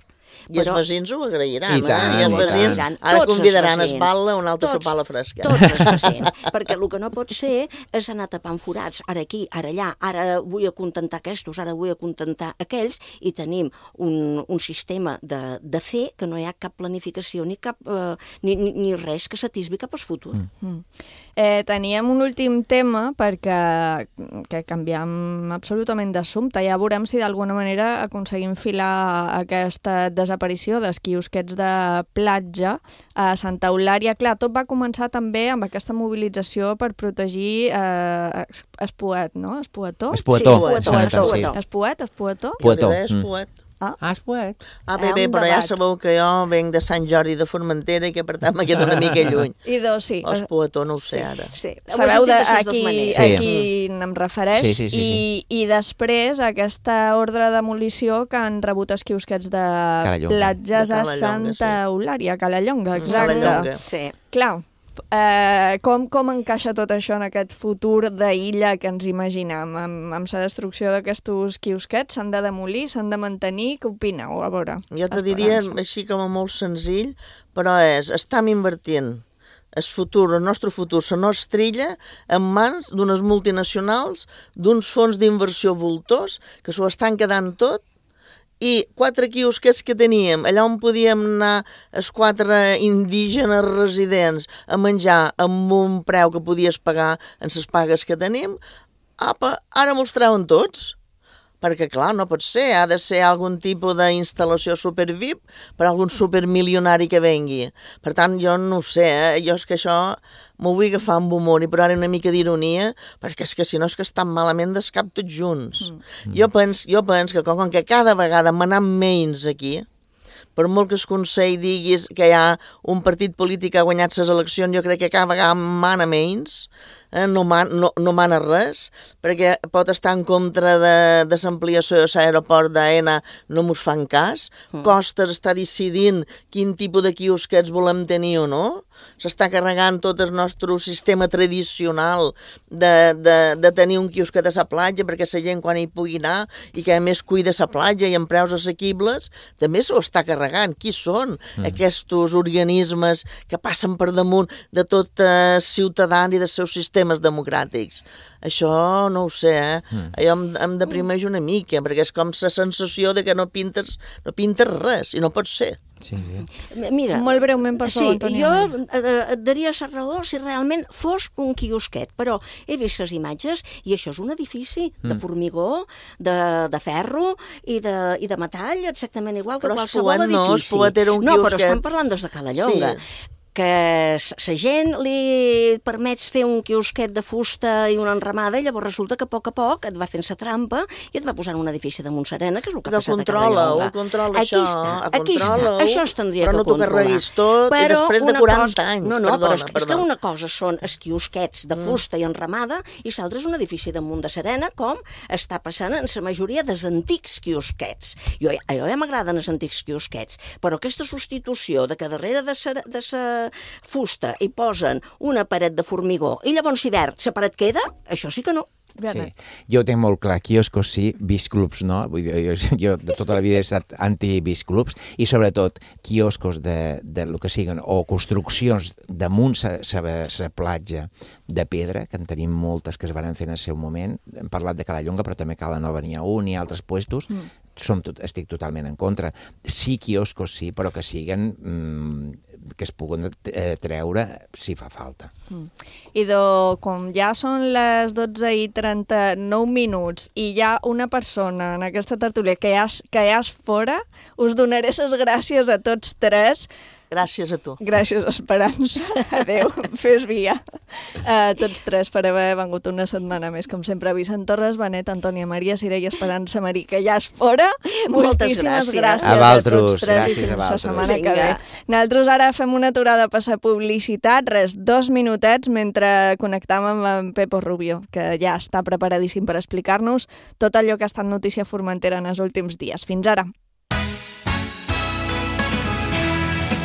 I els veïns ho agrairan, I els veïns ara convidaran a Esbala un altre sopar a la fresca. Tots els veïns, perquè el que no pot ser és anar tapant forats, ara aquí, ara allà, ara vull acontentar aquests, ara vull acontentar aquells, i tenim un sistema de fer que no hi ha cap planificació ni res que s'atisbi cap al futur. Teníem un últim tema perquè canviem absolutament d'assumpte. Ja veurem si d'alguna manera aconseguim filar aquesta desaparició dels quiosquets de platja a Santa Eulària. Clar, tot va començar també amb aquesta mobilització per protegir Espoet, no? Espoetó? Espoetó? Espoet. Però ja sabeu que jo venc de Sant Jordi de Formentera i que per tant me quedo una mica lluny. Espoetó no ho sé ara. Sabeu a qui em refereix? I després aquesta ordre de demolició que han rebut els quiosquets de platges a Santa Eulària, a Calallonga, exacte. Clar, com encaixa tot això en aquest futur d'illa que ens imaginem? Amb la destrucció d'aquests quiosquets s'han de demolir, s'han de mantenir? Què opineu? A veure. Jo te diria així com a molt senzill, però estem invertint el nostre futur, la nostra illa, en mans d'unes multinacionals, d'uns fons d'inversió voltors que s'ho estan quedant tot, i 4 quiosquets que teníem, allà on podíem anar els 4 indígenes residents a menjar amb un preu que podies pagar en les pagues que tenim, ara mos treuen tots. Perquè, clar, no pot ser, ha de ser algun tipus d'instal·lació super-VIP per algun supermilionari que vengui. Per tant, jo no ho sé, jo és que això m'ho vull agafar amb humor i posar una mica d'ironia, perquè és que si no és que estan malament del cap tots junts. Jo penso que com que cada vegada m'anem menys aquí, per molt que el Consell diguis que hi ha un partit polític que ha guanyat les eleccions, jo crec que cada vegada mana menys, no mana res, perquè pot estar en contra de l'ampliació de l'aeroport d'AENA, no mos fan cas. Costes està decidint quin tipus de quiosquets volem tenir o no. S'està carregant tot el nostre sistema tradicional de tenir un quiosquet a la platja perquè la gent quan hi pugui anar i que a més cuida la platja i amb preus assequibles, també s'ho està carregant. Qui són aquests organismes que passen per damunt de tot ciutadans i dels seus sistemes democràtics? Això no ho sé, jo em deprimeix una mica, perquè és com la sensació de que no pintes res, i no pot ser. Mira, molt breument, per favor, Antònia. Jo et daria la raó si realment fos un quiosquet, però he vist les imatges i això és un edifici de formigó, de ferro i de metall, exactament igual que qualsevol edifici. Però Espoet era un quiosquet. No, però estan parlant des de Calallonga. que la gent li permets fer un quiosquet de fusta i una enramada i llavors resulta que a poc et va fent sa trampa i et va posant un edifici de Montserena, que és el que ha passat a Calellonga. Controla això. Aquí està. Això es tindria que controlar. Però no t'ho carreguis tot i després de 40 anys. No, però és que una cosa són els quiosquets de fusta i enramada i l'altra és un edifici damunt de Serena, com està passant en la majoria dels antics quiosquets. A jo ja m'agraden els antics quiosquets, però aquesta substitució de que darrere de sa fusta hi posen una paret de formigó i llavors hivern la paret queda, això sí que no. Sí. Jo ho tinc molt clar, quioscos sí, biciclubs no, vull dir, jo de tota la vida he estat anti-biciclubs i sobretot quioscos de lo que siguen o construccions damunt la platja de pedra, que en tenim moltes que es van fer en el seu moment, hem parlat de Calellonga però també a Cala Nova n'hi ha un i altres puestos, estic totalment en contra. Sí, quioscos sí, però que siguen que es puguen treure si fa falta. Idò, com ja són les 12:39 i hi ha una persona en aquesta tertúlia que ja és fora, us donaré les gràcies a tots tres. Gràcies a tu. Gràcies, Esperança. Adéu, fes via. Tots tres per haver vengut una setmana més. Com sempre, Vicent Torres, Benet, Antònia Maria, Sira i Esperança Marí, que ja és fora. Moltíssimes gràcies a tots tres i fins la setmana que ve. Nosaltres ara fem una aturada per la publicitat, 2 minutets, mentre connectam amb en Pepo Rubio, que ja està preparadíssim per explicar-nos tot allò que ha estat notícia a Formentera en els últims dies. Fins ara.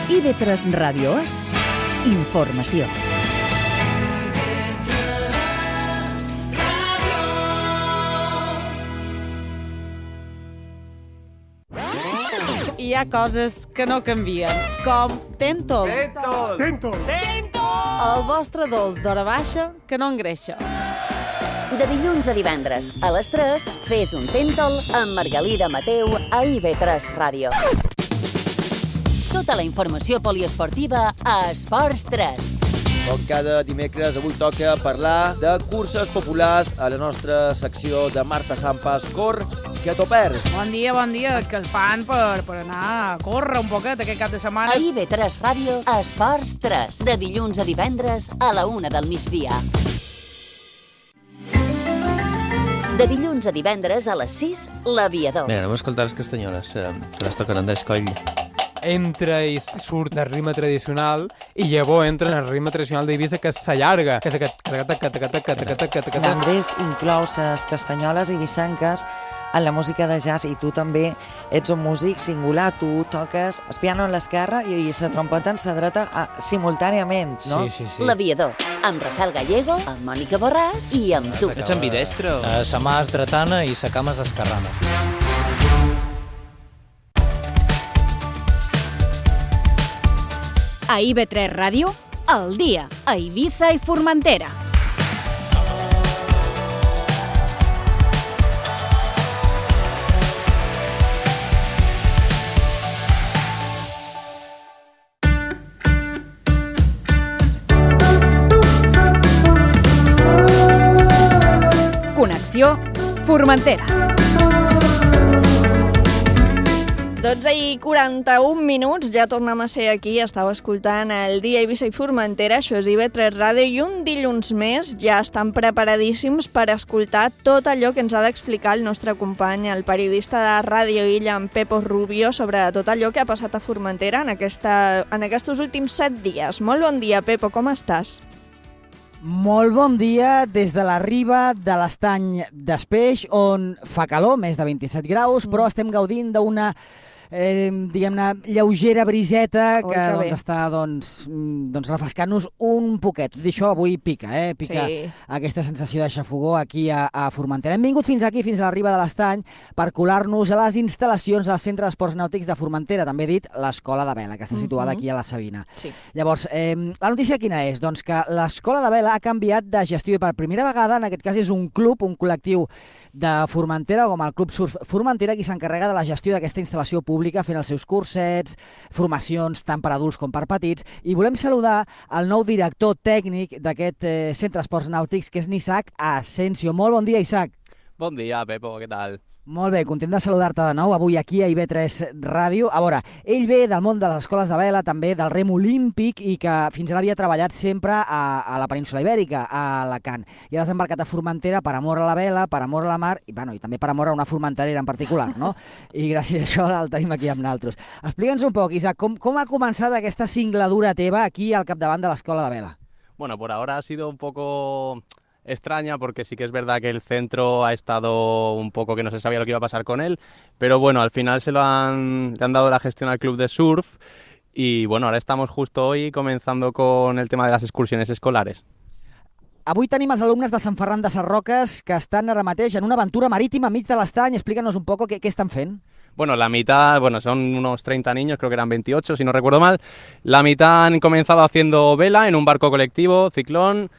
IB3 Ràdio és informació. Hi ha coses que no canvien, com Tentol. Tentol! El vostre dolç d'hora baixa que no engreixa. De dilluns a divendres, a les 3, fes un Tentol amb Margalida Mateu a IB3 Ràdio. Tota la informació poliesportiva a Esports 3. Com cada dimecres, avui toca parlar de curses populars a la nostra secció de Marta Sampas, Cor, que t'ho perds. Bon dia, és que el fan per anar a córrer un poquet aquest cap de setmana. A IB3 Ràdio, Esports 3, de dilluns a divendres a la 1 del migdia. De dilluns a divendres a les 6, l'Aviador. Bé, anem a escoltar les castanyoles, que les toquen Andrés Coll. Entra i surt del ritme tradicional i llavors entra en el ritme tradicional d'Eivissa, que s'allarga, que és aquest... Andrés inclou les castanyoles eivissenques en la música de jazz i tu també ets un músic singular, tu toques el piano en l'esquerra i la trompeta en la dreta simultàniament, no? Sí. L'Aviador, amb Rafael Gallego, amb Mònica Borràs i amb tu. Ets ambidestre? Sa mà és dretana i sa cama és esquerrana. A IB3 Ràdio, al dia, a Eivissa i Formentera. Connexió Formentera. 12:41, ja tornem a ser aquí, estàu escoltant el dia Eivissa i Formentera, això és IB3 Ràdio, i un dilluns més ja estan preparadíssims per escoltar tot allò que ens ha d'explicar el nostre company, el periodista de Ràdio Illa, en Pepo Rubio, sobre tot allò que ha passat a Formentera en aquests últims 7 dies. Molt bon dia, Pepo, com estàs? Molt bon dia des de la riba de l'estany d'Espeix, on fa calor, més de 27 graus, però estem gaudint d'una diguem-ne, lleugera briseta que està refrescant-nos un poquet. Tot això avui pica, pica aquesta sensació de xafogó aquí a Formentera. Hem vingut fins aquí, fins a la riba de l'estany, per colar-nos a les instal·lacions del Centre d'Esports Nàutics de Formentera, també dit l'Escola de Vela, que està situada aquí a la Sabina. Llavors, la notícia quina és? Doncs que l'Escola de Vela ha canviat de gestió i per primera vegada, en aquest cas és un club, un col·lectiu de Formentera, com el Club Surf Formentera, qui s'encarrega de la gestió d'aquesta instal·lació pública, fent els seus cursets, formacions tant per adults com per petits, i volem saludar el nou director tècnic d'aquest Centre d'Esports Nàutics, que és Isaac Asensio. Molt bon dia, Isaac. Bon dia, Pepo, què tal? Molt bé, content de saludar-te de nou avui aquí a IB3 Ràdio. A veure, ell ve del món de les escoles de vela, també del rem olímpic i que fins ara havia treballat sempre a la península Ibèrica, a Alacant. I ha desembarcat a Formentera per amor a la vela, per amor a la mar i també per amor a una formenterera en particular, no? I gràcies a això el tenim aquí amb nosaltres. Explica'ns un poc, Isaac, com ha començat aquesta singladura teva aquí al capdavant de l'escola de vela? Bueno, por ahora ha sido un poco extraña porque sí que es verdad que el centro ha estado un poco que no se sabía lo que iba a pasar con él, pero bueno, al final le han dado la gestión al club de surf y bueno, ahora estamos justo hoy comenzando con el tema de las excursiones escolares. Avui tenim els alumnes de Sant Ferran de Sarroques que estan ara mateix en una aventura marítima enmig de l'estany. Explícanos un poco qué están fent. Bueno, la mitad, son unos 30 niños, creo que eran 28 si no recuerdo mal. La mitad han comenzado haciendo vela en un barco colectivo, ciclón,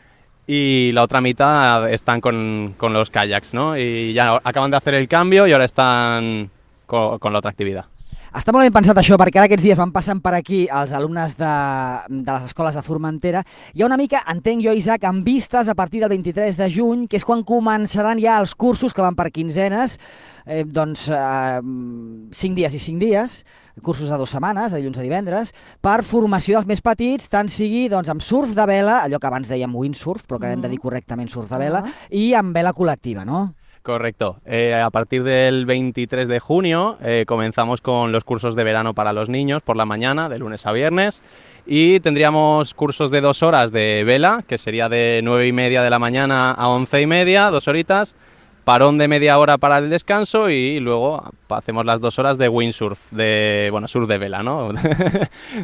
y la otra mitad están con los kayaks, ¿no? Y ya acaban de hacer el cambio y ahora están con la otra actividad. Està molt ben pensat això, perquè ara aquests dies van passant per aquí els alumnes de les escoles de Formentera. Hi ha una mica, entenc jo, Isaac, amb vistes a partir del 23 de juny, que és quan començaran ja els cursos que van per quinzenes, 5 dies i 5 dies, cursos de 2 setmanes, de dilluns a divendres, per formació dels més petits, tant sigui amb surf de vela, allò que abans dèiem windsurf, però que hem de dir correctament surf de vela, i amb vela col·lectiva, no? Correcto. A partir del 23 de junio comenzamos con los cursos de verano para los niños por la mañana, de lunes a viernes, y tendríamos cursos de 2 horas de vela, que sería de 9:30 de la mañana a 11:30, 2 horitas, parón de media hora para el descanso y luego hacemos las 2 horas de windsurf, surf de vela, ¿no?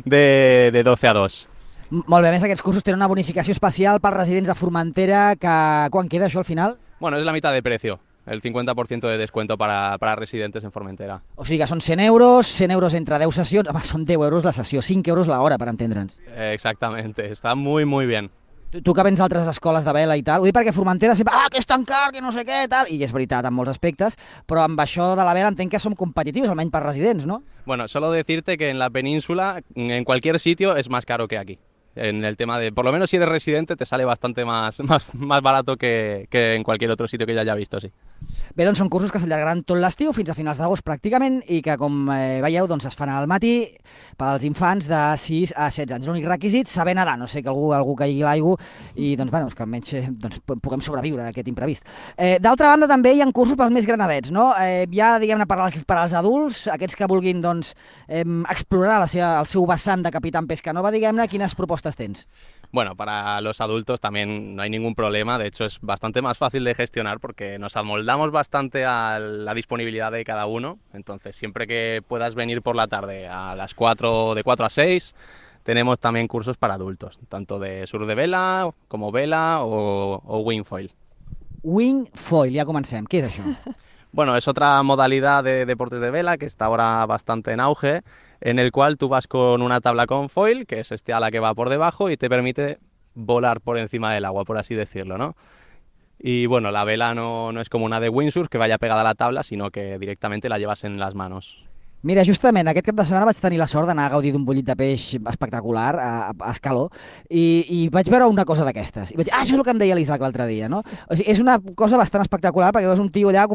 de 12 a 2. Molt bé, a més aquests cursos tenen una bonificació especial pels residents de Formentera, que quan queda això al final? Bueno, es la mitad de precio. El 50% de descuento para residentes en Formentera. O sigui que són 100 euros entre 10 sessions, home, són 10 euros la sessió, 5 euros l'hora, per entendre'ns. Exactamente, está muy, muy bien. Tu que vens d'altres escoles de vela i tal, ho dic perquè Formentera sempre, que és tan car, que no sé què, tal, i és veritat en molts aspectes, però amb això de la vela entenc que som competitius, almenys per residents, ¿no? Bueno, solo decirte que en la península, en cualquier sitio, es más caro que aquí. En el tema de, por lo menos si eres residente, te sale bastante más barato que en cualquier otro sitio que yo haya visto, sí. Bé, doncs són cursos que s'allargaran tot l'estiu fins a finals d'agost pràcticament i que, com veieu, doncs es fan al matí pels infants de 6 a 16 anys. L'únic requisit, saber nedar, no sé que algú caigui a l'aigua i doncs, bueno, que almenys puguem sobreviure a aquest imprevist. D'altra banda, també hi ha cursos pels més granadets, no? Ja, diguem-ne, per als adults, aquests que vulguin doncs, explorar el seu vessant de Capitán Pescanova, diguem-ne, quines propostes tens? Bueno, para los adultos también no hay ningún problema, de hecho es bastante más fácil de gestionar porque nos amoldamos bastante a la disponibilidad de cada uno, entonces siempre que puedas venir por la tarde a las 4, de 4 a 6, tenemos también cursos para adultos, tanto de surf de vela como vela o wingfoil. Wingfoil, ja comencem, què és això? Bueno, es otra modalidad de deportes de vela que está ahora bastante en auge, en el cual tú vas con una tabla con foil, que es este ala que va por debajo y te permite volar por encima del agua, por así decirlo, ¿no? Y bueno, la vela no es como una de windsurf que vaya pegada a la tabla, sino que directamente la llevas en las manos. Mira, justament aquest cap de setmana vaig tenir la sort d'anar a gaudir d'un bullit de peix espectacular a Escaló i vaig veure una cosa d'aquestes. I vaig dir, això és el que em deia l'Isaac l'altre dia, no? O sigui, és una cosa bastant espectacular perquè veus un tio allà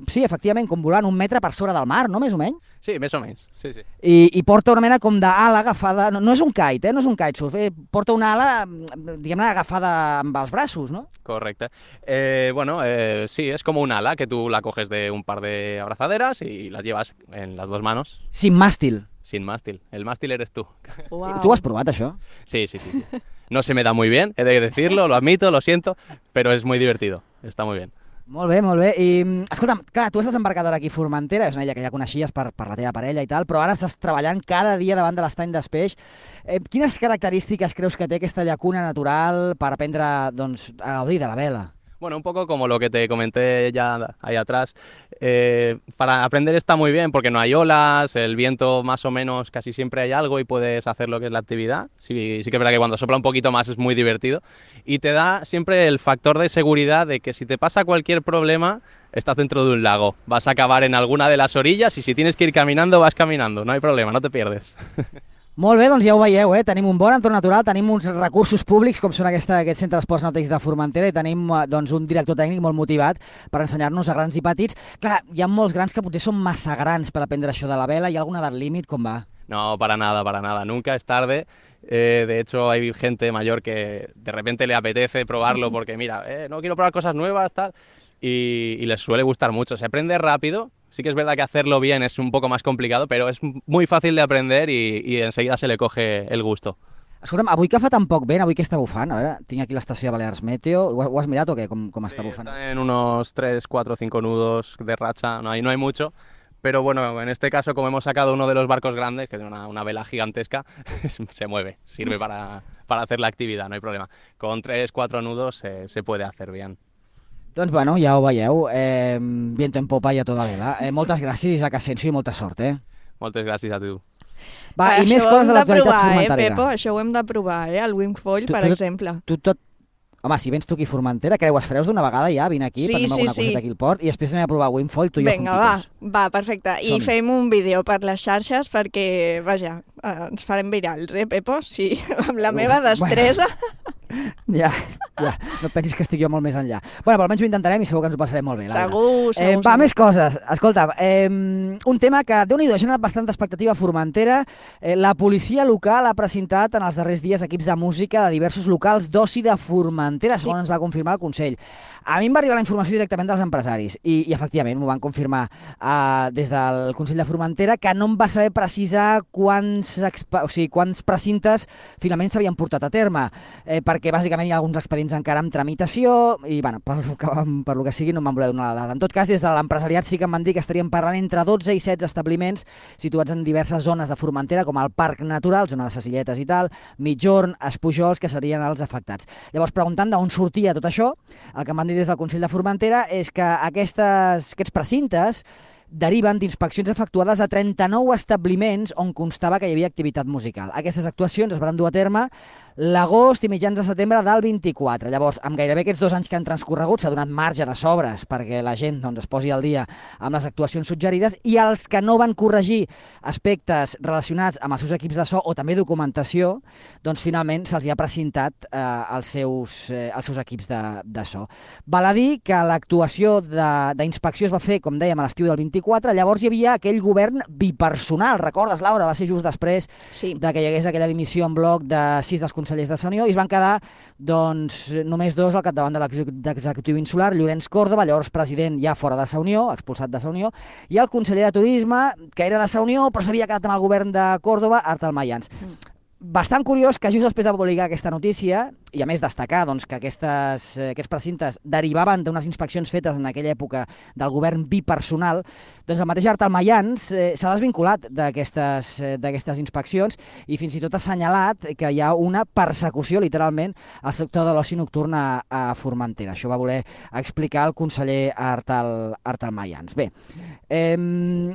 sí, efectivament, com volant 1 metre per sobre del mar, no? Més o menys? Sí, més o menys, sí. I porta una mena com d'ala agafada, no és un kite, no és un kitesurf, porta una ala, diguem-ne, agafada amb els braços, no? Correcte. Sí, es como un ala que tú la coges de un par de abrazaderas y las llevas en las 2 manos. Sin mástil. Sin mástil. El mástil eres tú. Wow. ¿Tú has provat això? Sí. No se me da muy bien, he de decirlo, lo admito, lo siento, pero es muy divertido, está muy bien. Molt bé. I, escolta'm, clar, tu has desembarcat ara aquí a Formentera, és una illa que ja coneixies per la teva parella i tal, però ara estàs treballant cada dia davant de l'estany d'Espeix. Quines característiques creus que té aquesta llacuna natural per aprendre doncs, a gaudir de la vela? Bueno, un poco como lo que te comenté ya ahí atrás. Para aprender está muy bien porque no hay olas, el viento más o menos casi siempre hay algo y puedes hacer lo que es la actividad. Sí que es verdad que cuando sopla un poquito más es muy divertido y te da siempre el factor de seguridad de que si te pasa cualquier problema estás dentro de un lago, vas a acabar en alguna de las orillas y si tienes que ir caminando vas caminando, no hay problema, no te pierdes. Molt bé, doncs ja ho veieu, tenim un bon entorn natural, tenim uns recursos públics com són aquest centre d'esports nàutics de Formentera i tenim doncs, un director tècnic molt motivat per ensenyar-nos a grans i petits. Clar, hi ha molts grans que potser són massa grans per aprendre això de la vela. Hi ha alguna edat límit? Com va? No, para nada. Nunca es tarde. De hecho, hay gente mayor que de repente le apetece probarlo porque, mira, no quiero probar cosas nuevas, tal, y les suele gustar mucho. Se aprende rápido. Sí que es verdad que hacerlo bien es un poco más complicado, pero es muy fácil de aprender y enseguida se le coge el gusto. Escolta'm, avui que fa tan poc vent, avui que està bufant? A veure, tinc aquí l'estació de Balears Meteo. Ho has mirat o què? Com està bufant? Están en unos 3, 4, 5 nudos de racha, no hay mucho. Pero bueno, en este caso, como hemos sacado uno de los barcos grandes, que tiene una vela gigantesca, se mueve, sirve para hacer la actividad, no hay problema. Con 3, 4 nudos se puede hacer bien. Doncs bueno, ja ho veieu, viento en popa i a toda vela. Moltes gràcies, Isaac Asensio, i molta sort, Moltes gràcies a tu. Va, i més coses de l'actualitat formenterera. Pepo, això ho hem de provar, el wingfoil, per exemple. Home, si vens tu aquí a Formentera, creues freus d'una vegada ja, vine aquí, prenem alguna coseta aquí al port i després anem a provar wingfoil, tu i jo juntitos. Vinga, va, perfecte. I fem un vídeo per les xarxes perquè, vaja, ens farem virals, Pepo? Sí, amb la meva destresa. Ja, no pensis que estic jo molt més enllà. Bueno, però almenys ho intentarem i segur que ens ho passarem molt bé. Segur. Va, més coses. Escolta, un tema que, Déu-n'hi-do, ha generat bastanta expectativa a Formentera. La policia local ha presentat en els darrers dies equips de música de diversos locals d'oci de Formentera, segons ens va confirmar el Consell. A mi em va arribar la informació directament dels empresaris i efectivament m'ho van confirmar des del Consell de Formentera, que no em va saber precisar quants precintes finalment s'havien portat a terme, perquè bàsicament hi ha alguns expedients encara en tramitació i bueno, per lo que sigui no em van voler donar la dada. En tot cas, des de l'empresariat sí que em van dir que estaríem parlant entre 12 i 16 establiments situats en diverses zones de Formentera, com el Parc Natural, zona de Sacilletes i tal, Mitjorn, Espujols, que serien els afectats. Llavors, preguntant d'on sortia tot això, el que em van dir des del Consell de Formentera és que aquests precintes deriven d'inspeccions efectuades a 39 establiments on constava que hi havia activitat musical. Aquestes actuacions es van dur a terme l'agost i mitjans de setembre del 24. Llavors, amb gairebé aquests 2 anys que han transcorregut, s'ha donat marge de sobres perquè la gent es posi al dia amb les actuacions suggerides i els que no van corregir aspectes relacionats amb els seus equips de so o també documentació, doncs finalment se'ls ha precintat els seus equips de so. Val a dir que l'actuació d'inspecció es va fer, com dèiem, a l'estiu del 24, llavors hi havia aquell govern bipersonal, recordes, Laura? Va ser just després de que hi hagués aquella dimissió en bloc de 6 dels consellers de la Unió i es van quedar només 2 al capdavant de l'executiu insular, Llorenç Còrdova, llavors president ja fora de la Unió, expulsat de la Unió, i el conseller de Turisme, que era de la Unió però s'havia quedat amb el govern de Còrdova, Artal Mayans. Bastant curiós que just després de publicar aquesta notícia, i a més destacar que aquests precintes derivaven d'unes inspeccions fetes en aquella època del govern bipersonal, doncs el mateix Artal Mayans s'ha desvinculat d'aquestes inspeccions i fins i tot ha assenyalat que hi ha una persecució, literalment, al sector de l'oci nocturn a Formentera. Això va voler explicar el conseller Artal Mayans. Bé,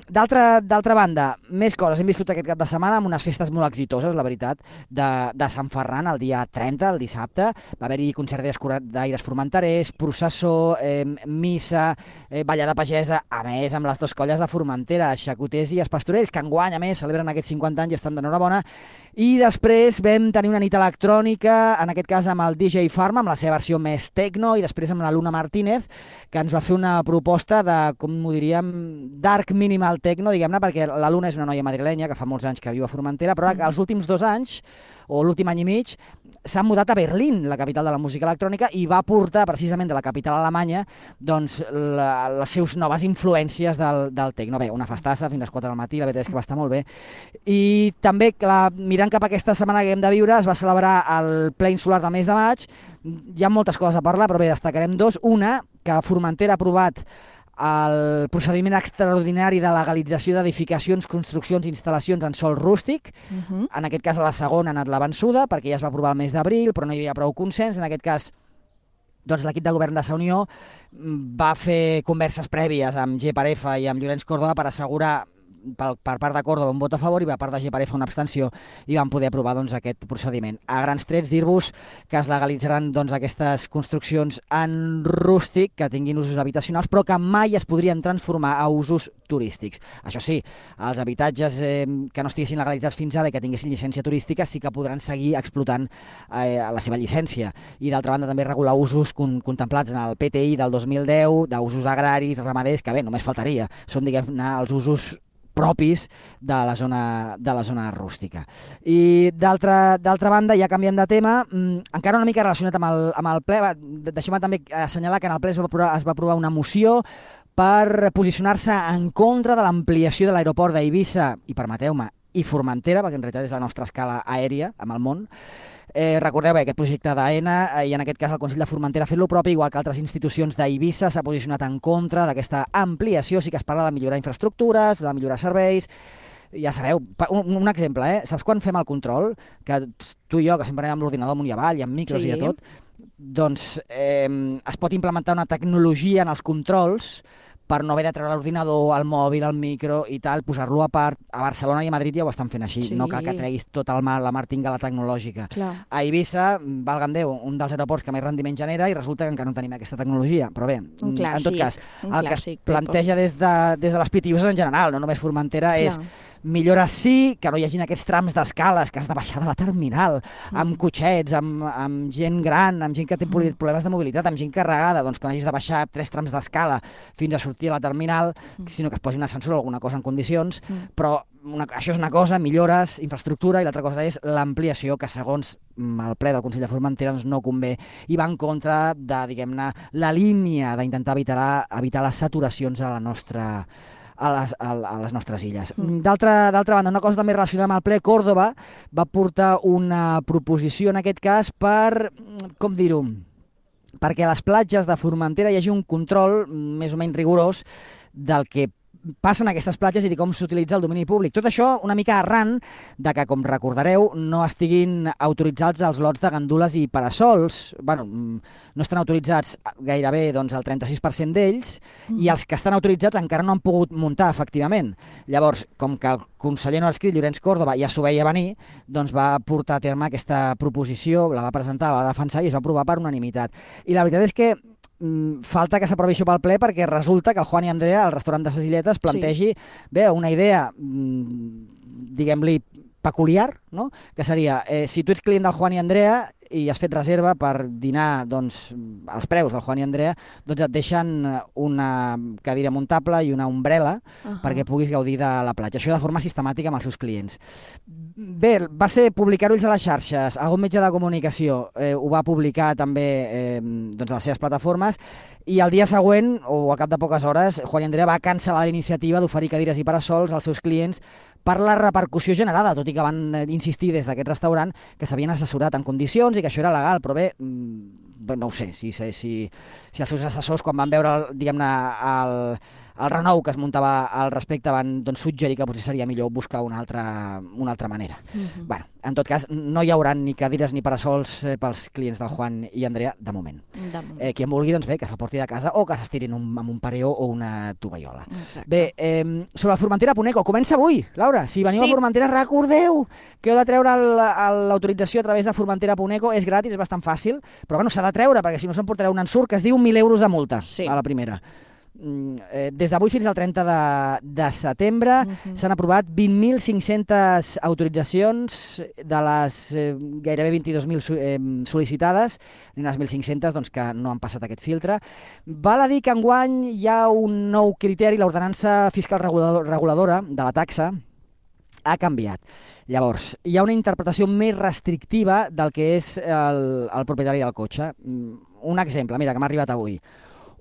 d'altra banda, més coses. Hem viscut aquest cap de setmana amb unes festes molt exitoses, la veritat, de Sant Ferran, el dia 30, el dissabte. Va haver-hi concert d'aires formenterers, processó, missa, ballada pagesa, a més amb les 2 colles de Formentera, xacoters i espastorells, que enguany, a més, celebren aquests 50 anys i estan d'enhorabona. I després vam tenir una nit electrònica, en aquest cas amb el DJ Pharma, amb la seva versió més techno, i després amb la Luna Martínez, que ens va fer una proposta de, com ho diríem, dark minimal techno, diguem-ne, perquè la Luna és una noia madrilenya que fa molts anys que viu a Formentera, però els últims 2 anys, o l'últim any i mig, s'ha mudat a Berlín, la capital de la música electrònica, i va portar precisament de la capital alemanya doncs, les seves noves influències del techno. Bé, una festassa fins a les 4 del matí, la veritat és que va estar molt bé. I també, mirant cap a aquesta setmana que hem de viure, es va celebrar el ple insular del mes de maig. Hi ha moltes coses a parlar, però bé, destacarem 2. Una, que Formentera ha aprovat el procediment extraordinari de legalització d'edificacions, construccions i instal·lacions en sòl rústic. En aquest cas, a la segona ha anat la vençuda, perquè ja es va aprovar el mes d'abril, però no hi havia prou consens. En aquest cas, doncs, l'equip de govern de la Unió va fer converses prèvies amb G. Parefa i amb Llorenç Còrdova per assegurar per part de Córdoba un vot a favor i per part de Geparefa una abstenció i van poder aprovar doncs, aquest procediment. A grans trets, dir-vos que es legalitzaran doncs, aquestes construccions en rústic que tinguin usos habitacionals però que mai es podrien transformar a usos turístics. Això sí, els habitatges que no estiguessin legalitzats fins ara i que tinguessin llicència turística sí que podran seguir explotant la seva llicència. I d'altra banda també regular usos contemplats en el PTI del 2010, d'usos agraris, ramaders, que bé, només faltaria. Són, diguem-ne, els usos propis de la zona rústica. I d'altra banda, ja canviant de tema, encara una mica relacionat amb el ple, deixem-me també assenyalar que en el ple es va aprovar una moció per posicionar-se en contra de l'ampliació de l'aeroport d'Eivissa, i permeteu-me, i Formentera, perquè en realitat és la nostra escala aèria amb el món. Recordeu aquest projecte d'AENA, i en aquest cas el Consell de Formentera ha fet lo propi, igual que altres institucions d'Eivissa s'ha posicionat en contra d'aquesta ampliació. Sí que es parla de millorar infraestructures, de millorar serveis. Ja sabeu, un exemple, saps quan fem el control? Que tu i jo, que sempre anem amb l'ordinador amunt i avall, i amb micros i de tot, doncs es pot implementar una tecnologia en els controls per no haver de treure l'ordinador, el mòbil, el micro i tal, posar-lo a part. A Barcelona i a Madrid ja ho estan fent així. Sí. No cal que treguis tot la martingala tecnològica. Clar. A Eivissa, valga'm Déu, un dels aeroports que més rendiment genera i resulta que encara no tenim aquesta tecnologia. Però bé, en tot cas, el que es planteja des de les PTUs en general, no només Formentera, és millora sí, que no hi hagin aquests trams d'escales que has de baixar de la terminal, amb cotxets, amb gent gran, amb gent que té problemes de mobilitat, amb gent carregada, doncs que no hagis de baixar 3 trams d'escala fins a sortir a la terminal, sinó que es posi un ascensor o alguna cosa en condicions, però això és una cosa, millores, infraestructura, i l'altra cosa és l'ampliació, que segons el ple del Consell de Formentera doncs no convé, i va en contra de, diguem-ne, la línia d'intentar evitar les saturacions a la nostra a les nostres illes. D'altra banda, una cosa també relacionada amb el ple, Córdoba va portar una proposició en aquest cas per, com dir-ho, perquè a les platges de Formentera hi hagi un control més o menys rigorós del que passen aquestes platges i de com s'utilitza el domini públic. Tot això una mica arran de que, com recordareu, no estiguin autoritzats els lots de gandules i parasols. Bueno, no estan autoritzats gairebé doncs, el 36% d'ells, i els que estan autoritzats encara no han pogut muntar, efectivament. Llavors, com que el conseller no ha escrit, Llorenç Córdoba, ja s'ho veia venir, doncs va portar a terme aquesta proposició, la va presentar, la va defensar i es va aprovar per unanimitat. I la veritat és que falta que s'aprovi això pel ple, perquè resulta que el Juan i Andrea, al restaurant de ses Illetes, plantegi una idea, diguem-li, peculiar, no? Que seria, si tu ets client del Juan i Andrea i has fet reserva per dinar, doncs, als preus del Juan i Andrea, doncs et deixen una cadira muntable i una ombrella perquè puguis gaudir de la platja. Això de forma sistemàtica amb els seus clients. Bé, va ser publicar-ho ells a les xarxes. Algun mitjà de comunicació ho va publicar també doncs a les seves plataformes, i el dia següent, o al cap de poques hores, Juan i Andrea va cancel·lar la iniciativa d'oferir cadires i parasols als seus clients per la repercussió generada, tot i que van insistir des d'aquest restaurant que s'havien assessorat en condicions i que això era legal, però bé, no ho sé, si els seus assessors, quan van veure, diguem-ne, el renou que es muntava al respecte, van suggerir que potser seria millor buscar una altra manera. Bueno, en tot cas, no hi haurà ni cadires ni parasols pels clients del Juan i Andrea, de moment. Qui en vulgui, doncs bé, que se'l porti de casa o que s'estirin amb un pareó o una tovallola. Bé, sobre el Formentera.eco, comença avui, Laura. Si veniu a Formentera, recordeu que heu de treure l'autorització a través de Formentera.eco. És gratis, és bastant fàcil, però bueno, s'ha de treure, perquè si no s'emportareu un ensurt que es diu 1.000 euros de multa a la primera. Des d'avui fins al 30 de setembre s'han aprovat 20.500 autoritzacions de les gairebé 22.000 sol·licitades, i unes 1.500 doncs, que no han passat aquest filtre. Val a dir que enguany hi ha un nou criteri, l'ordenança fiscal reguladora de la taxa ha canviat. Llavors, hi ha una interpretació més restrictiva del que és el propietari del cotxe. Un exemple, mira, que m'ha arribat avui.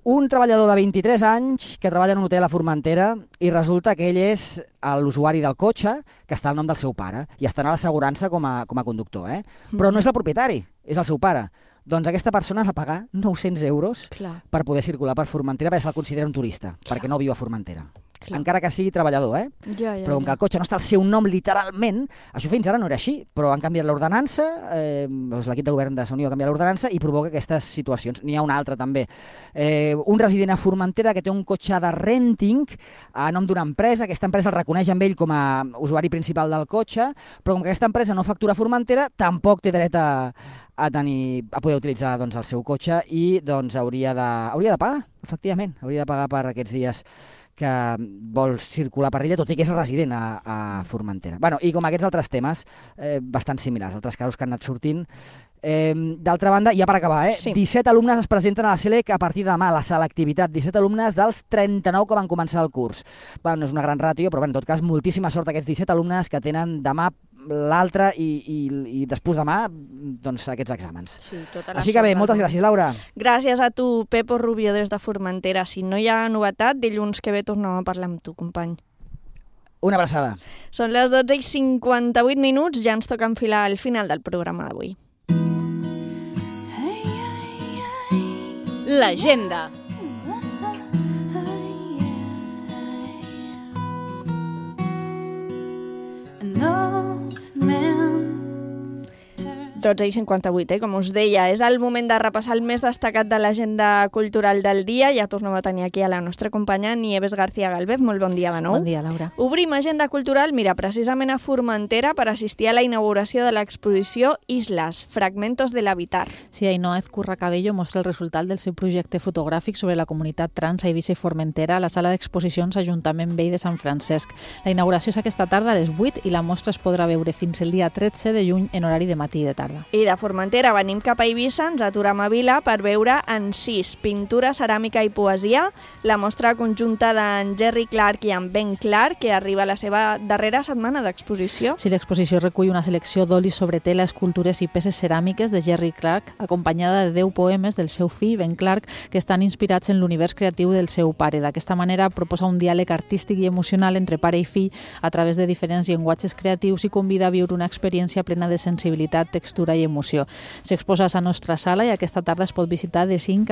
Un treballador de 23 anys que treballa en un hotel a Formentera i resulta que ell és l'usuari del cotxe que està al nom del seu pare i està a l'assegurança com a conductor, però no és el propietari, és el seu pare. Doncs aquesta persona ha de pagar 900 euros per poder circular per Formentera perquè se'l considera un turista, perquè no viu a Formentera. encara que sigui treballador, però com que el cotxe no està al seu nom literalment, això fins ara no era així, però han canviat l'ordenança, l'equip de govern de Sant Unió ha canviat l'ordenança i provoca aquestes situacions. N'hi ha una altra també. Un resident a Formentera que té un cotxe de renting a nom d'una empresa, aquesta empresa el reconeix amb ell com a usuari principal del cotxe, però com que aquesta empresa no factura a Formentera, tampoc té dret a poder utilitzar el seu cotxe i hauria de pagar, efectivament, hauria de pagar per aquests dies que vol circular per l'illa, tot i que és resident a Formentera. I com aquests altres temes, bastant similars, altres casos que han anat sortint. D'altra banda, ja per acabar, 17 alumnes es presenten a la SELEC a partir de demà, la selectivitat, 17 alumnes dels 39 que van començar el curs. No és una gran ràtio, però en tot cas, moltíssima sort aquests 17 alumnes que tenen demà, l'altre i després demà aquests exàmens. Sí, així que bé, moltes gràcies, Laura. Gràcies a tu, Pepo Rubio, des de Formentera. Si no hi ha novetat, dilluns que ve tornem a parlar amb tu, company. Una abraçada. Són les 12:58, ja ens toca enfilar al final del programa d'avui. L'agenda. Tots ells 58, com us deia. És el moment de repassar el més destacat de l'agenda cultural del dia. Ja tornem a tenir aquí a la nostra companya Nieves García Galvez. Molt bon dia de nou. Bon dia, Laura. Obrim agenda cultural, precisament a Formentera per assistir a la inauguració de l'exposició Islas, fragmentos del habitar. Sí, Ainhoa Ezcurra Cabello mostra el resultat del seu projecte fotogràfic sobre la comunitat trans a Eivissa i Formentera a la sala d'exposicions Ajuntament Vell de Sant Francesc. La inauguració és aquesta tarda a les 8 i la mostra es podrà veure fins el dia 13 de juny en horari de matí i de tarda. I de Formentera venim cap a Eivissa, ens aturem a Vila per veure Encís, pintura, ceràmica i poesia, la mostra conjunta d'en Jerry Clark i en Ben Clark, que arriba a la seva darrera setmana d'exposició. Sí, l'exposició recull una selecció d'olis sobre tela, escultures i peces ceràmiques de Jerry Clark, acompanyada de 10 poemes del seu fill, Ben Clark, que estan inspirats en l'univers creatiu del seu pare. D'aquesta manera proposa un diàleg artístic i emocional entre pare i fill a través de diferents llenguatges creatius i convida a viure una experiència plena de sensibilitat, textura i emoció. S'exposa a la nostra sala i aquesta tarda es pot visitar de 5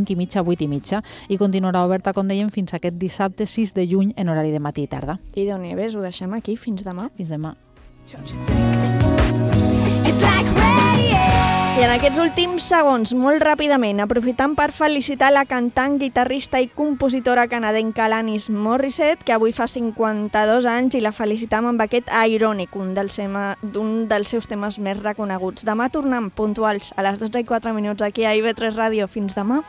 i mitja a 8 i mitja i continuarà oberta, com dèiem, fins aquest dissabte 6 de juny en horari de matí i tarda. I de Nieves, ho deixem aquí. Fins demà. Fins demà. I en aquests últims segons, molt ràpidament, aprofitant per felicitar la cantant, guitarrista i compositora canadenca Alanis Morissette, que avui fa 52 anys, i la felicitam amb aquest Ironic, un dels seus temes més reconeguts. Demà tornem puntuals a les 12:04 aquí a IB3 Ràdio. Fins demà.